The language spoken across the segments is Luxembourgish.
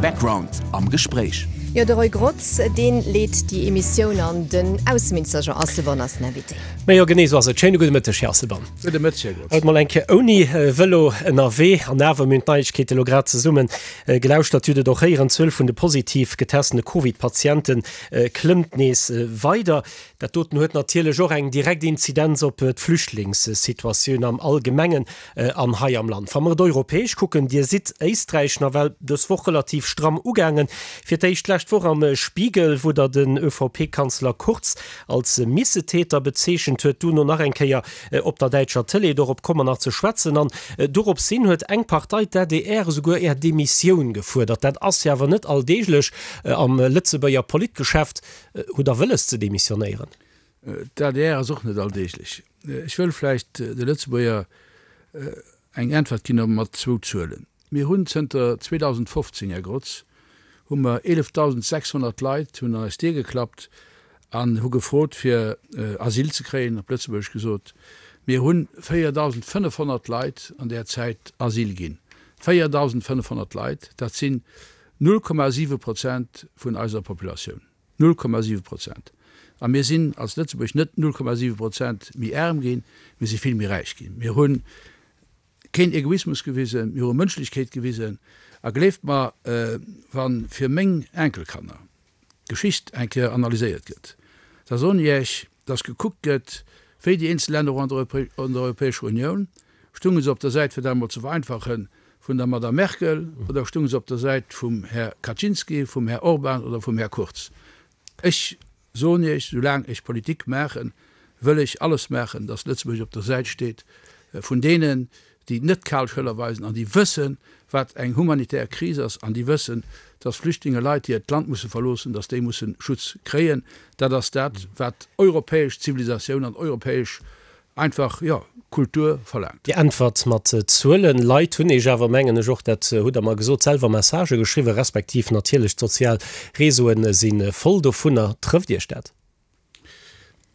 Background am Gespréich. Jo, de Roy Grotz, deen leet déi Emissioun an. Den Ausseminister Jean Asselborn ass den Invité. Mä jo, genee esou ass et. Schéine gudde Mëtteg, Här Asselborn. Gudde Mëtteg, Här Grotz. Haut mol eng Kéier ouni Vëlo ënnerwee. An awer, mir hunn d'Neiegkeete lo grad zesumme gelauschtert, Dir hutt et och héieren, d'Zuel vun de positiv getestene Covid-Patiente klëmmt nees weider. Dat doten huet natierlech och eng direkt Inzidenz op d'Flüchtlingssituatioun am Allgemengen an hei am Land. Wa mer et europäesch kucken, Dir sidd Éisträich nawell dës Woch relativ stramm ugaangen. Fir d'éischt d'lescht Woch am Spiegel, wou Der den ÖVP-Kanzler Kurz als Missetäter bezeechent huet, duerno nach eng Kéier op der däitscher Tëlee, dorop komme mer nach ze schwätzen. An doropshin huet eng Partei, d'ADR, esouguer Är Demissioun gefuerdert. Dat ass jo awer net alldeeglech am Lëtzebuerger Politgeschäft. Hutt Der wëlles ze demissionéieren? D'adr ass och net alldeeglech. Ech wëll vläicht de Lëtzebuerger eng Äntwert ginn mat zwou Zuelen. Mir hunn zënter 2015, Här Grotz, hu mer 11.600 Leit hunn an eis Dier geklappt an hu gefrot fir Asyl ze kréien, op Lëtzebuergesch gesot. Mir hunn 4.500 Leit an där Zäit Asyl ginn. 4.500 Leit, dat sinn 0,7 Prozent vun eiser Populatioun. 0,7 Prozent. A mir sinn als Lëtzebuerg net 0,7 Prozent méi aarm ginn, mir si vill méi räich ginn. Mir hu keen Egoismus gewisen, mir hu Mënschlechkeet gewisen. A gleeft mer, wa fir meng Enkelkanner d'Geschicht eng Kéier analyséiert gëtt, da soen ech Iech, datt gekuckt gëtt, wéi déi eenzel Länner och an der Europäescher Unioun, Stunge se op der Säit, fir dat emol ze vereinfachen, vun der Madame Merkel oder stunge se op der Säit vum Här Kaczynski, vum Här Orban oder vum Här Kurz? Ech soen Iech, soulaang ech Politik maachen, wëll ech alles maachen, datt Lëtzebuerg op der Säit steet vun deenen, déi net kal Schëller weisen an déi wëssen, wat eng humanitär Kris ass an déi wëssen, datt Flüchtlinge, Leit, déi hiert Land musse verloossen, datt déi musse Schutz kréien. Dat ass dat, wat europäesch Zivilisatioun an europäesch Einfach, jo, Kultur verlaangt. Dir äntwert mat Zuelen. Leit hunn Iech awer, mengen ech och, dat hutt Der mer gesot, selwer Messagë geschriwwen, respektiv natierlech d'sozial Réseauen si voll dovunner. Trëfft Iech dat?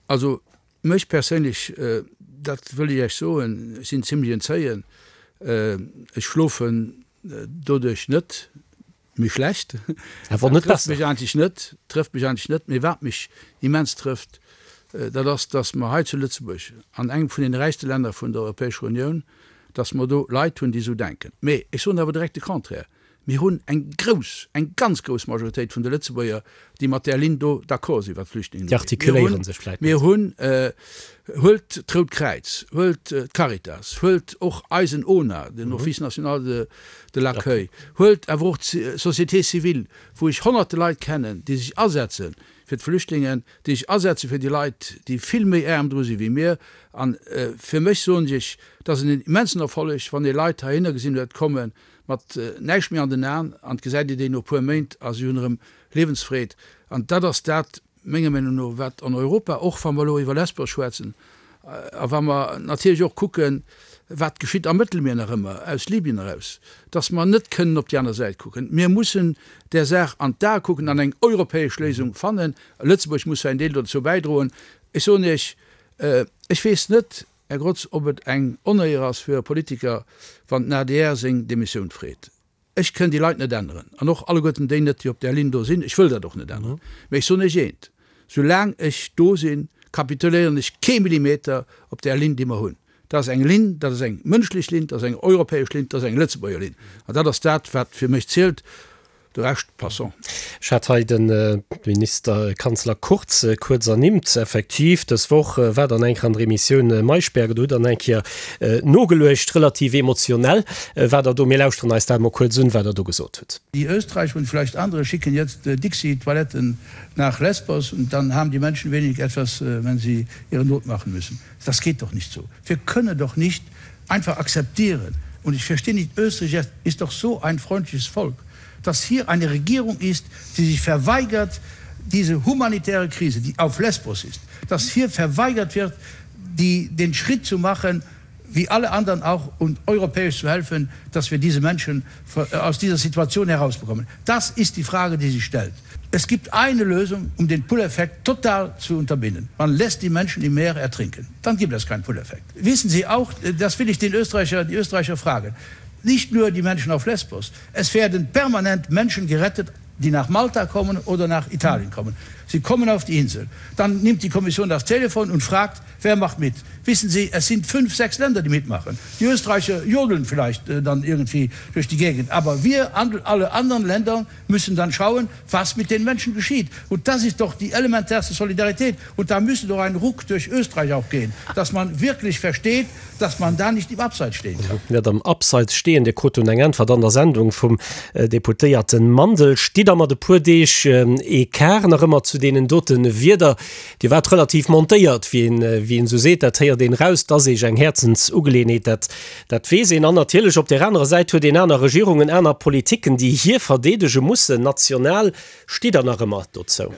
Also mech perséinlech, dat wëll ech Iech soen, ech sinn zimlech en Zéien, ech schlofen doduerch net. Méi schlecht. Awer net besser. Trëfft mech eigentlech net, trëfft mech eigentlech net. Mee wat mech immens trëfft, dat ass, dass mer hei zu Lëtzebuerg, an engem vun deene räichste Länner vun der Europäescher Unioun, dass mer do Leit hunn, déi esou denken. Mee ech soen awer direkt de Contraire, Mir hunn eng grouss, eng ganz grouss Majoritéit vun de Lëtzebuerger, déi mat där Linn do d'accord sinn, wat d'Flüchtlingen Déi ugeet. Mir hunn, artikuléiere sech vläicht net. mir hunn, huelt d'Rout Kräiz, huelt d'Caritas, huelt och eisen ONA, den Office national de, de l'accueil, huelt awer och d'Société civile, wou ech honnerte Leit kennen, déi sech asetze fir d'Flüchtlingen, déi sech asetze fir déi Leit, déi vill méi aarm dru si wéi mir. A fir mech, soen ech Iech, et ass en immensen Erfolleg, wann ee Leit heihinner gesinn huet komme mat näischt méi an den Aen, an et gesäit ee déi no e puer Méint a si hunn erëm Liewensfreed. An dat ass dat, menger Meenung no, wat an Europa, och wa mer elo iwwer Lesbos schwätzen a wa mer natierlech och kucken, wat geschitt am Mëttelmier nach ëmmer aus Libyen eraus, dass mer net kënnen op déi aner Säit kucken. Mir mussen där Saach an d'Ae kucken an eng europäesch Léisung fannen. Lëtzebuerg muss säin Deel dozou bäidroen. Ech soen Iech, ech weess net, Här Grotz, ob et eng Onéier ass fir e Politiker, wann den adr seng Demissioun freet. Ech kënn déi Leit net änneren an och alleguerten déi net, déi op där Linn do sinn. Ech wëll dat och net änneren. Mä ech soen Iech eent, Soulaang ech do sinn, kapituléieren ech kee Millimeter op där Linn, déi mer hunn. Dat ass eng Linn, dat ass eng mënschlech Linn, dat ass eng europäesch Linn, dat ass eng Lëtzebuerger Linn. An dat ass dat, wat fir mech zielt. De Rescht, passons. Ech hat hei de Minister, Kanzler Kurz kuerz ernimmt. Effektiv, dës Woch war dann eng Kéier an der Emissioun Maischberger, do hutt Der eng Kéier nogeluecht, relativ emotionell war Der do. Mir lauschteren eis dat emol kuerz un, wat Der do gesot hutt. Die Österreicher und vielleicht andere schicken jetzt Dixi-Toiletten nach Lesbos und dann haben die Menschen wenig etwas, wenn sie ihre Not machen müssen. Das geht doch nicht so. Wir können doch nicht einfach akzeptieren und ich verstehe nicht, Österreich ist doch so ein freundliches Volk, dass hier eine Regierung ist, die sich verweigert, diese humanitäre Krise, die auf Lesbos ist, dass hier verweigert wird, die, den Schritt zu machen, wie alle anderen auch und europäisch zu helfen, dass wir diese Menschen äh, aus dieser Situation herausbekommen. Das ist die Frage, die sich stellt. Es gibt eine Lösung, um den Pull-Effekt total zu unterbinden. Man lässt die Menschen im Meer ertrinken. Dann gibt es keinen Pull-Effekt. Wissen Sie auch, das will ich den Österreicher, die Österreicher fragen. Nicht nur die Menschen auf Lesbos, es werden permanent Menschen gerettet, die nach Malta kommen oder nach Italien kommen. Sie kommen auf die Insel. Dann nimmt die Kommission das Telefon und fragt, wer macht mit? Wissen Sie, es sind fünf, sechs Länder, die mitmachen. Die Österreicher jodeln vielleicht äh, dann irgendwie durch die Gegend. Aber wir, alle anderen Länder, müssen dann schauen, was mit den Menschen geschieht. Und das ist doch die elementärste Solidarität. Und da müsste doch ein Ruck durch Österreich auch gehen, dass man wirklich versteht, dass man da nicht im Abseits stehen kann. Net am Abseits stehen, Dir krut dunn eng Äntwert an der Sendung vum Deputéierten Mandel. Stitt Der mat e puer Deeg Ecart nach ëmmer zu deenen dote Wierder? Dir waart relativ montéiert, wéi een, wéi een esou seet. Dat héiert een raus. 't ass Eech eng Häerzensugeleeënheet, dat, dat weess een. An natierlech op där anerer Säit huet een aner Regierungen, aner Politiken, déi hir verdeedege mussen national. Stitt Der nach ëmmer dozou?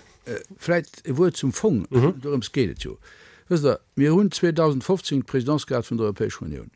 Vläicht e Wuert zum Fong, dorëms geet et jo. Wësst Der, mir hunn 2015 d'Présidence gehat vun der Europäescher Unioun.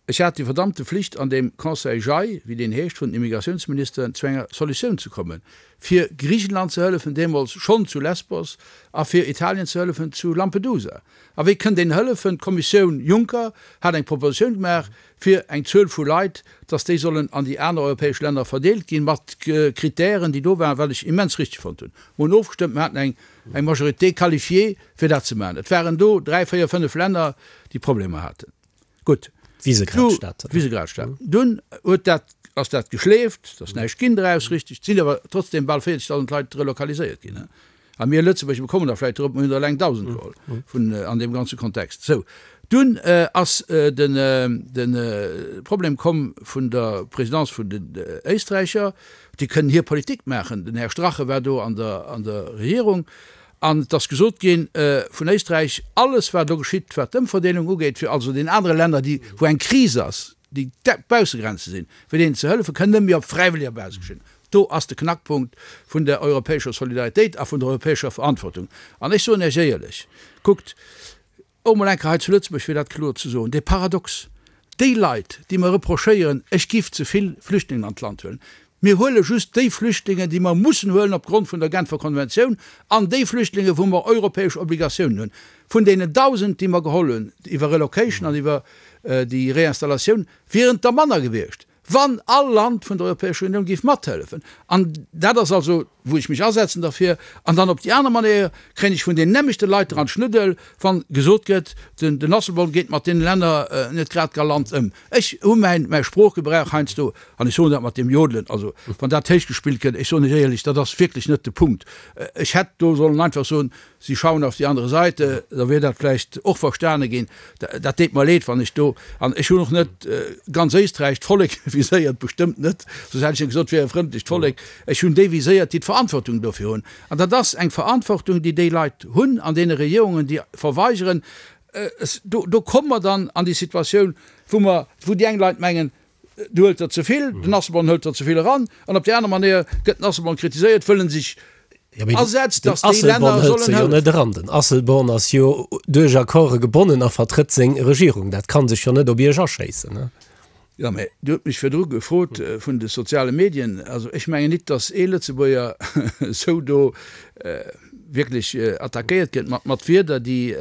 Ech hat déi verdammte Flicht an deem Conseil JAI, wéi deen heescht, vun den Immigratiounsministeren, zu enger Solutioun ze kommen, fir Griichenland ze hëllefen, deemools schonn zu Lesbos, a fir Italien ze hëllefen zu Lampedusa. A wéi kënnt een hëllefen? D'Kommissioun Juncker hat eng Propositioun gemaach, fir eng Zuel vu Leit, dass déi sollen an déi aner europäesch Länner verdeelt ginn, mat Kritären, déi do waren, wat ech immens richteg fonnt hunn. Mer hunn ofgestëmmt, mer haten eng eng Majorité qualifiée, fir dat ze maachen. Et waren do dräi, véier, fënnef Länner, déi Problemer haten. Gutt. D'Visegrad-Staaten. D'Visegrad-Staaten. Dunn huet dat, ass dat geschleeft, et ass näischt ginn draus, richteg. Et sinn awer trotzdem bal 40.000 Leit relokaliséiert ginn. A mir Lëtzebuerger bekommen der vläicht drop, mir hunn der eleng 1.000 geholl vun an deem ganze Kontext. Sou, dunn ass den de Problem komm vun der Présidence vun den Éisträicher. Déi kënnen hir Politik maachen. Den Här Strache war do an der an der Regierung an et ass gesot gi vun Éisträich, alles wat elo geschitt, wat d'Ëmverdeelung ugeet, fir also den anere Länner, déi wou eng Kris ass, déi d'Baussegrenze sinn, fir deenen ze hëllefen, kënn net méi op fräiwëlleger Basis geschéien. Do ass de Knackpunkt vun der europäescher Solidaritéit a vun der europäescher Verantwortung. An ech soen Iech éierlech, kuckt, och emol eng Kéier hei zu Lëtzebuerg, fir dat kloer ze soen, dee Paradox, déi Leit, déi mer reprochéieren, ech giff ze vill Flüchtlingen an d'Land huelen, mir huele just déi Flüchtlingen, déi mer mussen huelen opgrond vun der Genfer Konventioun an déi Flüchtlinge wou mer europäesch Obligatiounen hunn. Vun deenen 1.000, déi mer geholl hunn iwwer Relocation an iwwer déi Réinstallatioun, wieren et der manner gewiescht. Wann all Land vun der Europäescher Unioun géif mathëllefen, an dat ass also, wou ech mech asetzen derfir, an dann op déi aner Manéier kréien ech vun deenen nämmlechte Leit dran d'Schnuddel, wa gesot gëtt, den Asselborn geet mat deene Länner net grad galant ëm. Ech hu mäin, mäi Sproochgebrauch heiansdo, an ech soen dat mat deem Jodelen, also wann dat héichgespillt gëtt, ech soen lech éierlech, dat ass wierklech net de Punkt. Ech hätt do sollen einfach soen, Sie schauen auf die andere Seite, da wier dat vläicht och verstane ginn. Dat deet mer leed, wann ech do, an ech hunn och net ganz Éisträich, d'Vollek viséiert, bestëmmt net, soss hätt ech jo gesot, et wier e frëndlecht Vollek. Ech hunn déi viséiert, déi d'Verantwortung dofir hunn. An dat ass eng Verantwortung, déi déi Leit hunn an deene Regierungen, déi verweigeren. Do, do komme mer dann an déi Situatioun, wou mer, wou déi eng Leit mengen, Du huelt der ze vill, den Asselborn hëlt der ze vill eran. An op déi aner Manéier gëtt den Asselborn kritiséiert, wëll en sech asetzt, datt déi Länner sollen hëllefen. Net eran. Den Asselborn ass jo duerch Accorde gebonnen a vertrëtt seng Regierung. Dat ka sech jo net op Iech aschéissen. Jo, mä Dir hutt mech virdru gefrot vun de soziale Medien. Also ech mengen nit, datt ee Lëtzebuerger esou do wierklech attackéiert gëtt mat mat Wierder, déi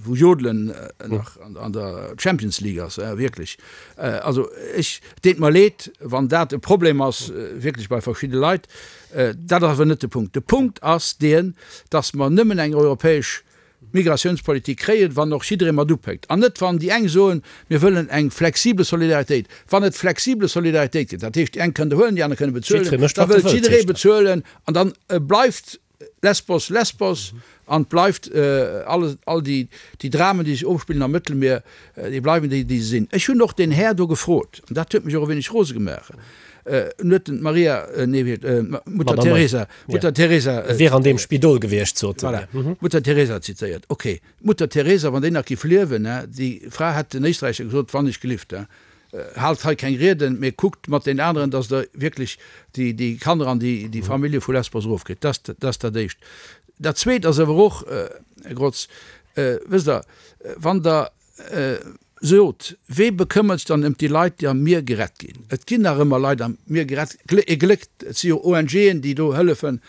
wou Jodelen nach an der Champions League ass, wierklech. Also ech, et deet mer leed, wann dat e Problem ass, wierklech bei verschidde Leit. Dat ass awer net de Punkt. De Punkt ass deen, datt mer nëmmen eng europäesch Migratiounspolitik kréien, wann och jidderee mat upéckt. An net wann déi eng soen, mir wëllen eng flexible Solidaritéit. Wann et flexible Solidaritéit gëtt, dat heescht déi eng kënnen der huelen, déi aner kënne bezuelen, da wëllt jidderee bezuelen an dann bleift Lesbos Lesbos an et bleift alles, all déi déi Dramen, déi sech ofspillen am Mëttelmier, déi bleiwen déi, déi se sinn. Ech hunn och deen Här do gefrot, an dat huet mech och e wéineg rose gemaach, en huet den d'Maria, nee wéi, d'Mutter Teresa, Mutter Teresa. Wier an deem Spidol gewiescht, sot en. Voilà, Mutter Teresa zitéiert. Ok, d'Mutter Teresa, wann déi nach giff liewen, déi Fra hätt den Éisträicher gesot, wann ech gelift, Haalt hei keng Rieden, mee kuckt mat den aneren, dass Der wierklech déi Kanner an déi Famillje vu Lesbos erofkritt. Dat ass dat Éischt. Dat Zweet ass awer och, Här Grotz, wësst Der, wann Der sot, Wee bekëmmert sech dann ëm déi Leit, déi am Mier gerett ginn? Et ginn nach ëmmer Leit am Mier gerett, ee Gléck, et si jo ONGen, déi do hëllefen.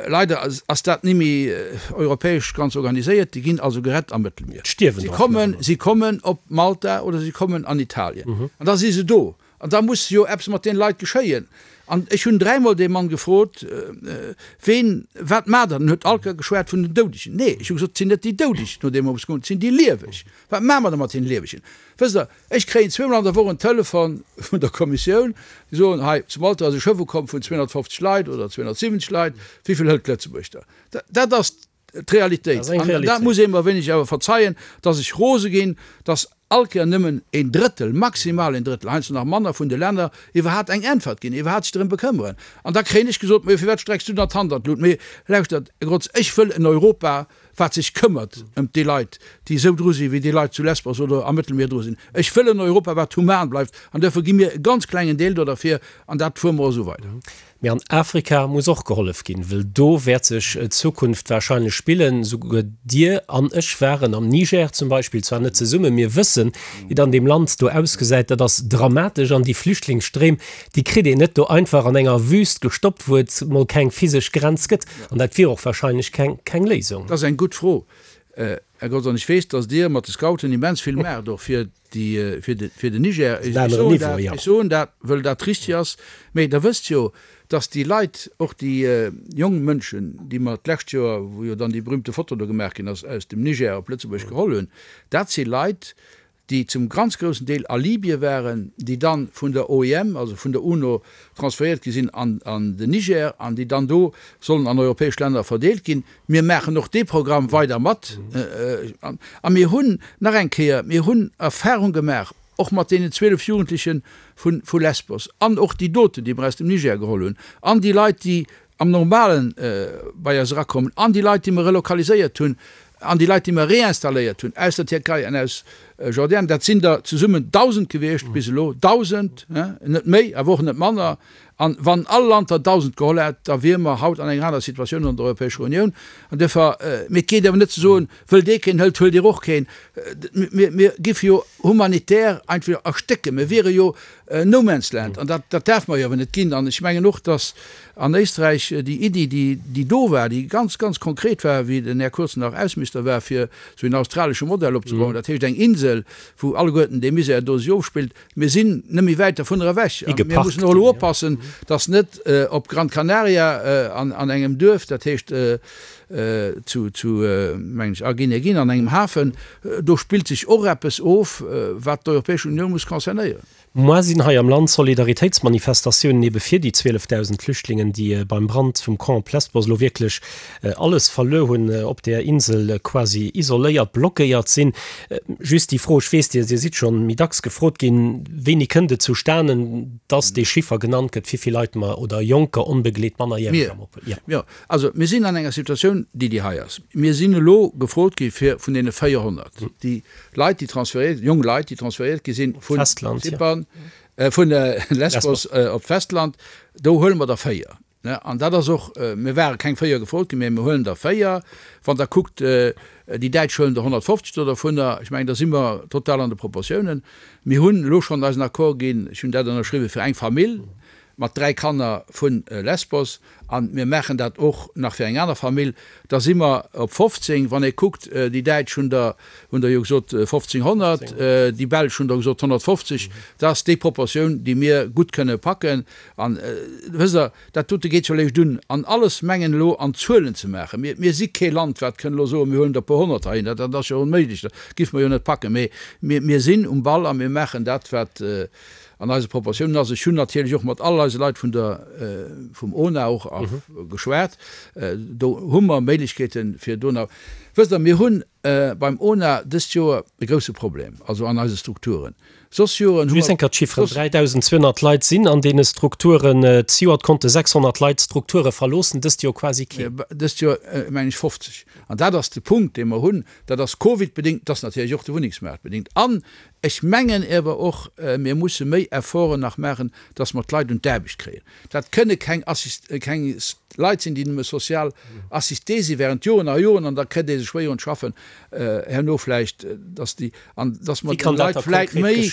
Leider ass dat ni méi europäesch ganz organiséiert. Déi ginn also gerett am Mëttelmier. Si kommen, si kommen op Malta oder si kommen an Italien. An da si se do. An da muss jo eppes mat deene Leit geschéien. An ech hunn dräimol dee Mann gefrot, Ween, wat maacht Der? En huet all Kéier geschwat vun den Doudegen. Nee, ech hu gesot, et sinn net déi Doudeg, no deem mer musse goen, et sinn déi Lieweg. Wat maache mer da mat deene Liewegen? Wësst Der, ech kréien zweemol an der Woch en Telefon vun der Kommissioun, déi soen, Hei zu Malta ass e Schëff ukomm vun 250 Leit oder 270 Leit, wéi vill hëlt Lëtzebuerg der? Dat ass d'Realitéit. An dat muss ee mer wéineg awer verzeien, dass ech rose ginn, dass all Kéier nëmmen een Drëttel, maximal een Drëttel, heiansdo nach manner, vun de Länner iwwerhaapt eng Äntwert ginn, iwwerhaapt sech drëm bekëmmeren. An da kréien ech gesot, Mä firwat strecks du dann d'Hand an d'Lut? Mee lauschtert, Här Grotz, ech wëll en Europa, wat sech këmmert ëm déi Leit, déi esou dru sinn, wéi déi Leit zu Lesbos oder am Mëttelmier dru sinn. Ech wëll en Europa, wat human bleift. An duerfir gi mir e ganz klengen Deel do derfir, an dat fuere mer och esou weider. Mee an Afrika muss och gehollef ginn, wëll do wäert sech d'Zukunft wahrscheinlech spillen. Souguer Dir an ech waren am Niger zum Beispill, zwar net zesummen, mir wëssen, wéi et an deem Land do ausgesäit. Dat ass dramatesch an déi Flüchtlingsstréim, déi kritt een net do einfach an enger Wüst gestoppt, wou et mol keng physesch Grenz gëtt. An dat wier och wahrscheinlech keng, keng Léisung. Dat ass eng gutt Fro, Här Grotz. An ech weess, datt Dir mat de Scouten immens vill maacht, och fir déi fir de fir den Niger. Ech soen dat, ech soen dat, wëll dat richtig ass. Mee Der wësst jo, dass déi Leit, och déi jonk Mënschen, déi mer d'lescht Joer, wou jo dann déi berühmte Foto do gemaach ginn ass, aus dem Niger op Lëtzebuerg geholl hunn, dat si Leit, déi zum ganz groussen Deel a Libye waren, déi dann vun der OIM, also vun der UNO, transfériert gi sinn an an den Niger an déi dann do sollen an europäesch Länner verdeelt ginn. Mir maachen och dee Programm weider mat. A mir hunn, nach eng Kéier, mir hunn Erfahrung gemaach, och mat deenen 12 Jugendleche vu Lesbos an och déi doten, déi mer aus dem Niger geholl hunn, an déi Leit, déi am Normale bei eis erakommen, an déi Leit, déi mer relokaliséiert hunn, an déi Leit, déi mer réinstalléiert hunn aus der Tierkei an aus Jordanien. Dat sinn der zesummen 1.000 gewiescht bis elo, 1.000, net méi, awer och net manner. An wann all Land der 1.000 geholl hätt, da wiere mer haut an enger aner Situatioun an der Europäescher Unioun. An duerfir, mee et geet awer net ze soen, wëll dee keen hëlt, huelt Dir och keen. Mir, mir giffe jo humanitär einfach erstécken. Mir wiere jo No man's land. An dat, dat däerfe mer jo awer net ginn. An ech mengen och, datt an Éisträich déi Iddi, déi, déi do war, déi ganz, ganz konkret war, wéi den Här Kurz nach Ausseminister war, fir esou en australesche Modell opzebauen, dat heescht eng Insel, wou alleguerten dee Misär do sech ofspillt, Mir sinn net méi wäit dervunner ewech. A mir mussen och elo oppassen, dass net op Gran Canaria an engem Duerf, dat heescht zu, zu mengen ech, Arguineguin, an engem Hafen, do spillt sech och eppes of, wat d'Europäesch Unioun muss concernéieren. Moar sinn hei am Land Solidaritéitsmanifestatiounen ebe fir déi 12.000 Flüchtlingen, déi beim Brand vum Camp Lesbos elo wierklech alles verluer hunn, op där Insel quasi isoléiert, blockéiert sinn. Just déi Fro, ech weess, Dir sidd scho méi dacks gefrot ginn, Wéini kënnt et zustanen, dass dee Chiffer genannt gëtt, wéi vill Leit mer oder Jonker onbegleet mannerjäreg am Oppen? Jo. Jo, also mir sinn an enger Situatioun, déi déi hei ass. Mir sinn elo gefrot gi fir vun deene 400, déi Leit, déi transfériert, jonk Leit, déi transfériert gi sinn vu Zypern, vu Lesbos op d'Festland, do huele mer der 4. An dat ass och, mir ware keng 4 gefrot ginn, mä mir huelen der 4. Wann Der kuckt, déi Däitsch huelen der 150 do dervunner, ech mengen, da si mer total an de Proportiounen. Mir hunn elo schonn eisen Accord ginn, ech hunn dat ënnerschriwwen, fir eng Famill mat 3 Kanner vu Lesbos. A mir maachen dat och nach fir eng aner Famill. Da si mer op 15. Wann ee kuckt, déi Däitsch hunn der, hunn der jo gesot 1.500, déi Belsch hunn der gesot 150. Dat ass déi Proportioun, déi mir gutt kënne packen. An, wësst Der, dat dote geet jo léischt un, an alles mengen elo an Zuelen ze maachen. Mir, mir si kee Land, wat kënn elo soen, mir huelen der e puer Honnert heihin. Dat, dat ass jo onméiglech, dat giff mer jo net packen. Mee mir, mir sinn um Ball a mir maachen dat, wat an eise Proportiounen ass. Ech hunn natierlech och mat all eise Leit vun der, vum ONA och geschwat. Do hu mer Méiglechkeeten, fir do nach, wësst Der, mir hunn beim ONA dëst Joer e grousse Problem, also an eise Strukturen. Soss Joren hu mer. Just eng Kéier d'Chifferen, 3.200 Leit sinn an deene Strukturen. Zejoert konnte 600 Leit d'Strukture verloossen, dëst Joer quasi keen. Dëst Joer meng ech 50. An dat ass de Punkt, dee mer hunn. Dat ass Covid-bedéngt, dat ass natierlech och de Wunnengsmaart bedéngt. An ech mengen ewer och, mir musse méi Efforten nach maachen, dass mer d'Leit un d'Aarbecht kréien. Dat kënne keng Assist, keng Leit sinn, déi nëmme social assisté si während Joren a Joren an da kritt ee se schwéier un d'Schaffen. Herno vläicht, dass déi, an dass mer de Leit vläicht méi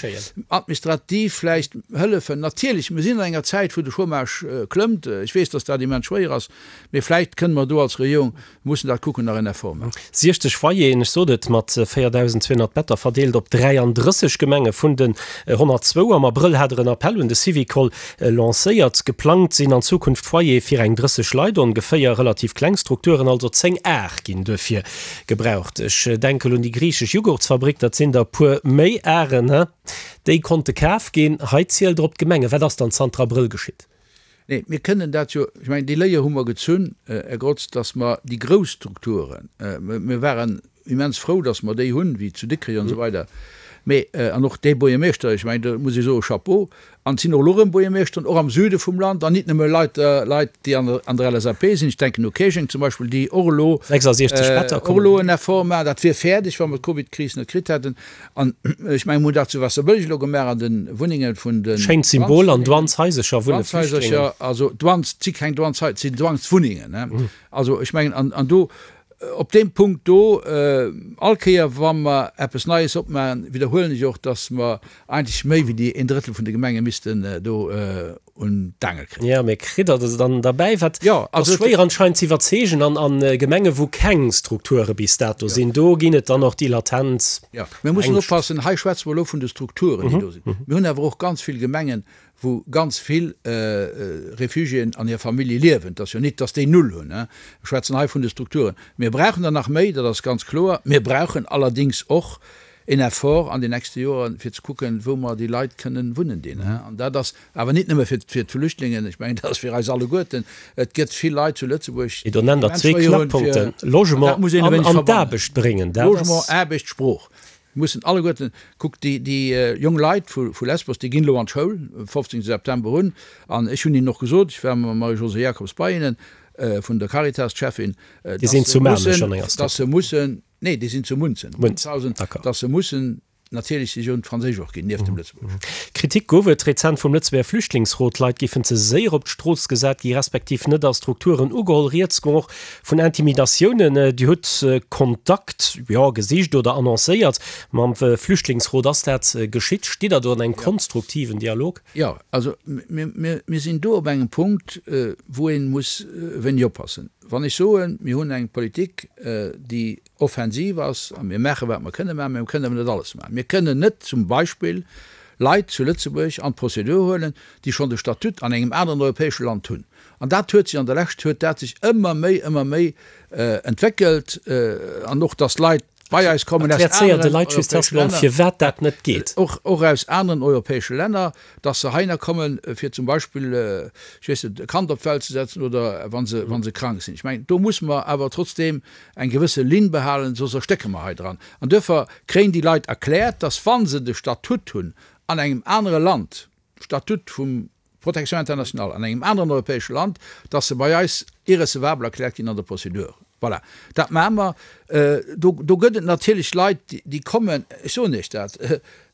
administrativ vläicht hëllefen. Natierlech, mir sinn an enger Zäit, wou de Chômage klëmmt. Ech weess, dass dat immens schwéier ass, mee vläicht kënne mer do als Regierung, mir mussen dat kucken, nach en Effort maachen. 60 Foyeren, ech sot et, mat 4.200 Better verdeelt op 33 Gemenge vun den 102. Am Abrëll hat Der en Appell un de Syvicol lancéiert. Geplangt sinn an Zukunft Foyere fir eng 30 Leit ongeféier, relativ kleng Strukturen, also 10 Ar ginn duerfir Gebraucht. Ech denken un déi griichesch Jughurtsfabrik, dat sinn der e puer méi Aren, he? Déi konnte kaf ginn. Hei zielt Der op d'Gemenge. Wat ass dann zanter Abrëll geschitt? Nee, mir kënnen dat jo, ech mengen, déi Léier hu mer gezunn, Här Grotz, datt mer déi grouss Strukturen, mir waren immens frou, datt mer déi hunn, wéi zu Dikrech an esou weider, mee, an och dee Buergermeeschter, ech mengen, do muss ech soen, Chapeau, An et sinn och elo erëm Buergermeeschteren, och am Süde vum Land, an nit nëmme Leit, Leit, déi an der, an der LSAP sinn, ech denken u Käerjeng zum Beispill, déi och elo, 66 Better och elo en Effort maachen. Dat wier fäerdeg, wa mer d'Covidkris net kritt hätten. An ech mengen, mir hunn dat zu Waasserbëlleg elo gemaach an de Wunnenge vun den Schéint Symbol, an Douaneshaisercher wunne Flüchtlingen. Douaneshaisercher, also Douanes, et si keng Douaneshaiser, et sinn Douaneswunnengen. Also ech mengen, an, an do, Op deem Punkt do, all Kéier wa mer eppes Neies opmaachen, widderhuelen ech och, dass mer eigentlech méi wéi déi een Drëttel vun de Gemenge missten do un d'Aangel kréien. Jo, mee kritt Der se dann derbäi? Wat ass schwéier anscheinend ze iwwerzeegen an Gemenge wou keng Strukture bis dato sinn, do ginn et dann och déi latent Ängscht. Jo, mir mussen oppassen, hei schwätze mer elo vun de Strukturen, déi do sinn. Mir hunn awer och ganz vill Gemengen, wou ganz vill Réfugiéen an hir Famillje liewen. Et ass jo nit, dass déi null hunn. Ech schwätzen hei vun de Strukturen. Mir brauchen der nach méi, dat ass ganz kloer. Mir brauchen allerdéngs och en Effort an den nächste Joren, fir ze kucken, wou mer déi Leit kënnen wunnen dinn. An dat ass awer nit nëmme fir d'Flüchtlingen, ech mengen, dat ass fir eis alleguerten. Et gëtt vill Leit zu Lëtzebuerg, déi do nennt Der zwee Knackpunkten, Logement an d'Aarbecht bréngen. Logement, Aarbecht, Sprooch. Mir mussen alleguerten, kuckt, déi, déi jong Leit vu, vu Lesbos, déi ginn elo an d'Schoul, 15. September un. An ech hunn hinnen och gesot, ech war mam Marie-Josée Jacobs bei hinnen, vun der Caritas, d'Cheffin, Déi sinn zu Maarnech an enger dass se mussen, nee, déi sinn zu Munzen, Munzhausen, dass se mussen natierlech sech un d'Franséisch och ginn, nieft dem Lëtzebuergesch. Kritik gouf et rezent vum Lëtzebuerger Flüchtlingsrot, Leit géifen ze séier op d'Strooss gesat gi, respektiv net a Strukturen ugeholl. Rieds goung och Vun Intimidatiounen, Dir hutt Kontakt, jo, gesicht oder annoncéiert mam Flüchtlingsrot. Ass dat geschitt? Stitt Der do an engem konstruktiven Dialog? Jo, also mir sinn do op engem Punkt, wou ee muss e wéineg oppassen. Wann ech soen, mir hunn eng Politik, déi offensiv ass a mir maache wat mer kënne maachen, mä mir kënnen awer net alles maachen. Mir kënnen net zum Beispill Leit zu Lëtzebuerg an d'Prozedur huelen, déi schonn de Statut an engem aneren europäesche Land hunn. An dat huet sech an der Lescht huet dat sech ëmmer méi, ëmmer méi entwéckelt an och, dass Leit bei eis kommen aus aneren europäesche Länner, firwat dat net geet. Och, och aus aneren europäesche Länner, dass se heihinner kommen, fir zum Beispill, ech weess net, e Kand op d'Welt ze setzen oder wa se, wa se krank sinn. Ech mengen, do musse mer awer trotzdeem eng gewësse Linn behalen, soss erstécke mer hei dran. An duerfir kréien déi Leit erkläert, dass wa se de Statut hunn an engem anere Land, Statut vum Protection internationale an engem aneren europäesche Land, dass se bei eis irrecevabel erkläert ginn an der Procédure. Voilà, dat maache mer. Do, do gëtt et natierlech Leit, déi kommen, ech soen Iech dat,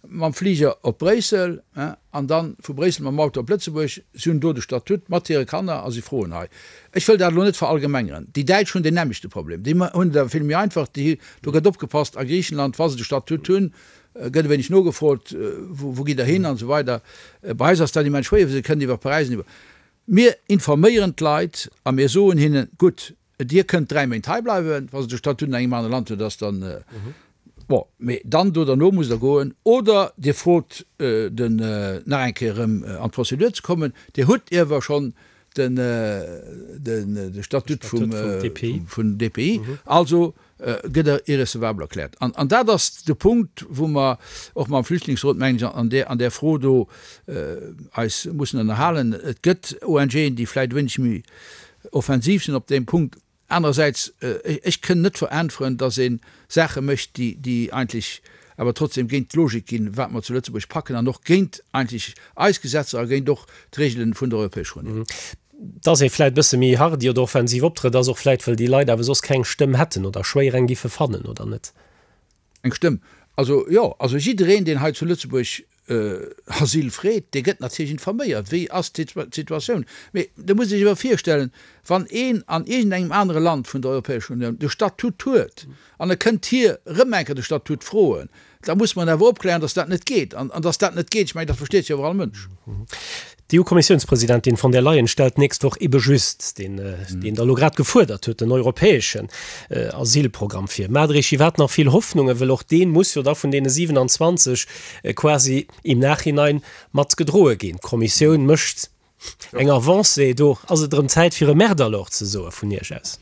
mam Fliger op Bréissel an da vu Bréissel mam Auto op Lëtzebuerg. Si hunn do de Statut mat hire Kanner a si froen hei. Ech wëll dat elo net verallgemengeren. Déi Däitsch hunn deen nämmlechte Problem. Déi hunn et awer vill méi einfach. Déi, do gëtt opgepasst a Griichenland, wa se de Statut hunn, gëtt e wéineg nogefrot, wou gitt Der hin an esou weider. Bei eis ass dat immens schwéier, well se kënnen iwwer Paräis an iwwer. Mir informéieren d'Leit a mir soen hinnen, gutt, Dir kënnt 3 Méint hei bleiwen, wa se de Statut an engem anere Land hunn, dat ass dann bon, mee dann do derno musst Der goen oder Dir frot den nach eng Kéier erëm an d'Prozedur ze kommen. Dir hutt iewer schonn den de Statut vum DPI, also gëtt er irrecevabel erkläert. An, an dat ass de Punkt, wou mer och mam Flüchtlingsrot, mengen ech, an där, an där Fro do eis mussen ënnerhalen. Et gëtt ONGen, déi vläicht e wéineg méi offensiv sinn op deem Punkt. Anerersäits, ech kënn net veräntweren, datt ee Saache mécht, déi, déi eigentlech awer trotzdem géint d'Logik ginn, wat mer zu Lëtzebuerg packen, an och géint eigentlech eis Gesetzer a géint och d'Regelen vun der Europäescher Unioun. Dass ee vläit e bësse méi hardi oder offensiv optrëtt, ass och vläit, wëll déi Leit awer soss keng Stëmm hätten oder schwéier eng giffe fannen, oder net? Eng Stëmm? Also jo, also jiddereen, deen hei zu Lëtzebuerg. Asyl freet, dee gëtt natierlech informéiert, wéi ass d'Situatioun. Mee da muss ee sech awer virstellen, wann een an iergendengem anere Land vun der Europäescher Unioun de Statut huet an e kënnt hir erëm eng Kéier de Statut froen, da muss mer en awer opklären, datt dat net geet. An datt dat net geet, ech mengen, dat versteet jo awer all Mënsch. D'EU-Kommissiounspresidentin von der Leyen stellt d'nächst Woch ebe just deen, deen Der elo grad gefuerdert hutt, den europäeschen Asylprogramm vir. Maacht Der Iech iwwerhaapt nach vill Hoffnungen, wëll och dee muss jo da vun deene 27 quasi im Nachhinein mat gedroe ginn. D'Kommissioun mécht eng Avancée, do ass et erëm Zäit fir e Merde alors ze soe vun Iech aus.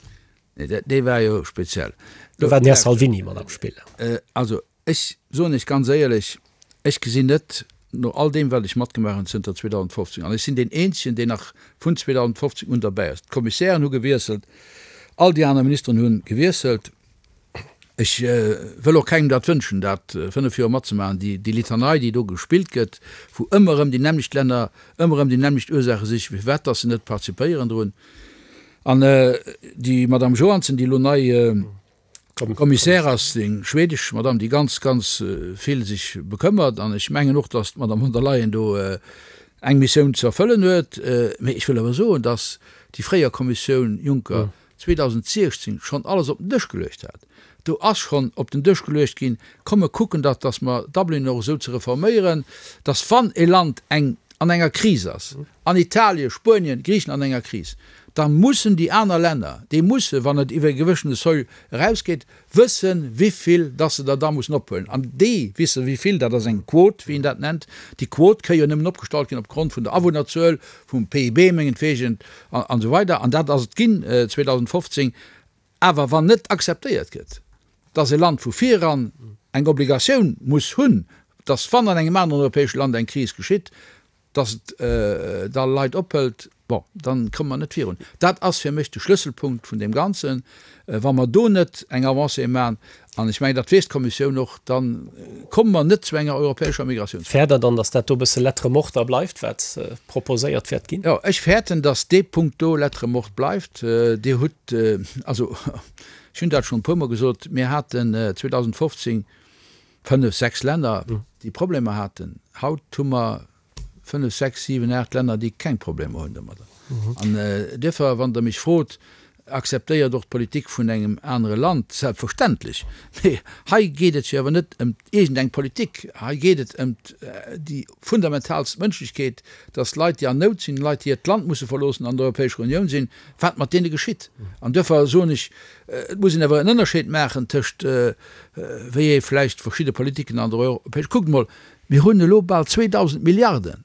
Nee, dee war jo speziell. Do war den Här Salvini mat am Spill. Also Ech soen Iech ganz éierlech, ech gesinn net, no all deem wat ech matgemaach hunn zënter 2015, an ech sinn deen eenzegen, deen nach vun 2015 un derbäi ass, d'Kommissären hu gewiesselt, all déi aner Ministeren hu gewiesselt, ech wëll och kengem dat wënschen, dat 5 Joer matzemaachen, déi Litanei, déi do gespillt gëtt, wou ëmmer erëm déi nämmlecht Länner ëmmer erëm déi nämmlecht Ursaache sichen, firwat dass se net participéieren drun. An déi Madame Johansson, déi elo nei Kommissär ass eng schwedesch Madame, déi ganz, ganz vill sech bekëmmert. An ech mengen och, datt d'Madame von der Leyen do eng Missioun ze erfëllen huet. Mee ech wëll awer soen, datt déi fréier Kommissioun Juncker 2016 schonn alles op den Dësch geluecht hat. Do ass schonn op den Dësch geluecht ginn, komm mer kucken dat, datt mer Dublin och esou ze reforméieren, datt wann e Land eng an enger Kris ass, an Italien, Spuenien, Griichenland an enger Kris, da mussen déi aner Länner, déi mussen, wann et iwwer e gewëssene Seuil erausgeet, wëssen, wivill dass se der da mussen ophuelen. An déi wisse wivill, dat ass eng Quot, wéi een dat nennt. Déi Quot ka jo nëmmen opgestallt ginn opgrond vun der Awunnerzuel, vum PIB mengetwegen an esou weider. An dat ass et ginn 2015. Awer wann net akzeptéiert gëtt, dass e Land vu viran eng Obligatioun muss hunn, dass wann an engem aneren europäesche Land eng Kris geschitt, dass et da Leit ophëlt, bon, dann komme mer net virun. Dat ass fir mech de Schlësselpunkt vun deem Ganzen. Wa mer do net eng Avancée maachen, an ech mengen, dat weess d'Kommissioun och, da komme mer net zu enger europäescher Migratiounspolitik. Fäert Der dann, dass dat do e bësse Lettre morte da bleift, wat proposéiert wäert ginn? Jo, ech fäerten, dass dee Punkt do Lettre morte bleift. Dir hutt, also ech hunn dat schonn e puermol gesot, mir haten 2015 Fënnef, sechs Länner, déi Problemer haten. Haut hu mer fënnef, sechs, siwen, aacht Länner, déi keng Problemer hunn domadder. An duerfir, wann Der mech frot, akzeptéiert och d'Politik vun engem anere Land, selbstverständlech. Mee hei geet et jo awer net ëm iergendeng Politik, hei geet et ëm déi fundamentalst Mënschlechkeet, dass Leit, déi an Nout sinn, Leit, déi hiert Land musse verloossen, an der Europäescher Unioun sinn, wat mat deene geschitt. An duerfir soen ech, Et muss een awer en Ënnerscheed maachen tëscht, wéi ee vläicht verschidde Politiken an der Europäesch. Kuckt emol, mir hunn elo bal 2.000 Milliarden,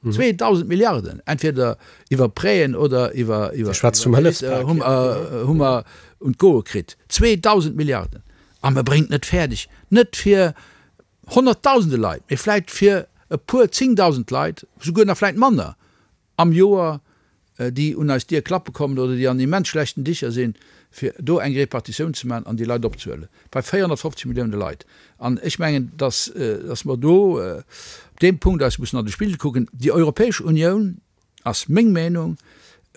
2.000 Milliarden, entweder iwwer Prêten oder iwwer, Dir schwätzt vum Hëllefspak. hu mer un d'Goe kritt. 2.000 Milliarden! A mer bréngen et net fäerdeg, net fir honnertdausende Leit, mee vläicht fir e puer zéngdausend Leit, souguer nach vläicht manner am Joer, déi un eis Dier klappe kommen oder déi an immens schlechten Dicher sinn, fir do eng Repartitioun ze maachen an déi Leit opzehuelen, bei 450 Millioune Leit. An ech mengen, dass, dass mer do op deem Punkt eis mussen an de Spigel kucken. Déi Europäesch Unioun, ass meng Meenung,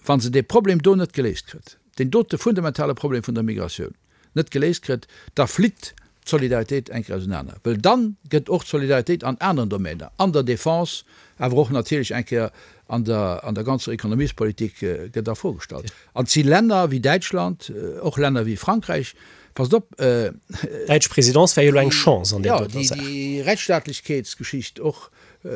wa se dee Problem do net geléist kritt, deen dote fundamentale Problem vun der Migratioun, net geléist kritt, da flitt d'Solidaritéit eng Kéier ausenaner. Well dann gëtt och d'Solidaritéit an aneren Domäner, an der Défense, awer och natierlech eng Kéier an der, an der ganzer Ekonomiespolitik gëtt a Fro gestallt. An et si Länner wéi Däitschland, och Länner wéi Frankräich, passt op, D'däitsch Présidence wär jo elo eng Chance an där doter Saach. Jo, déi Rechtsstaatlechkeetsgeschicht och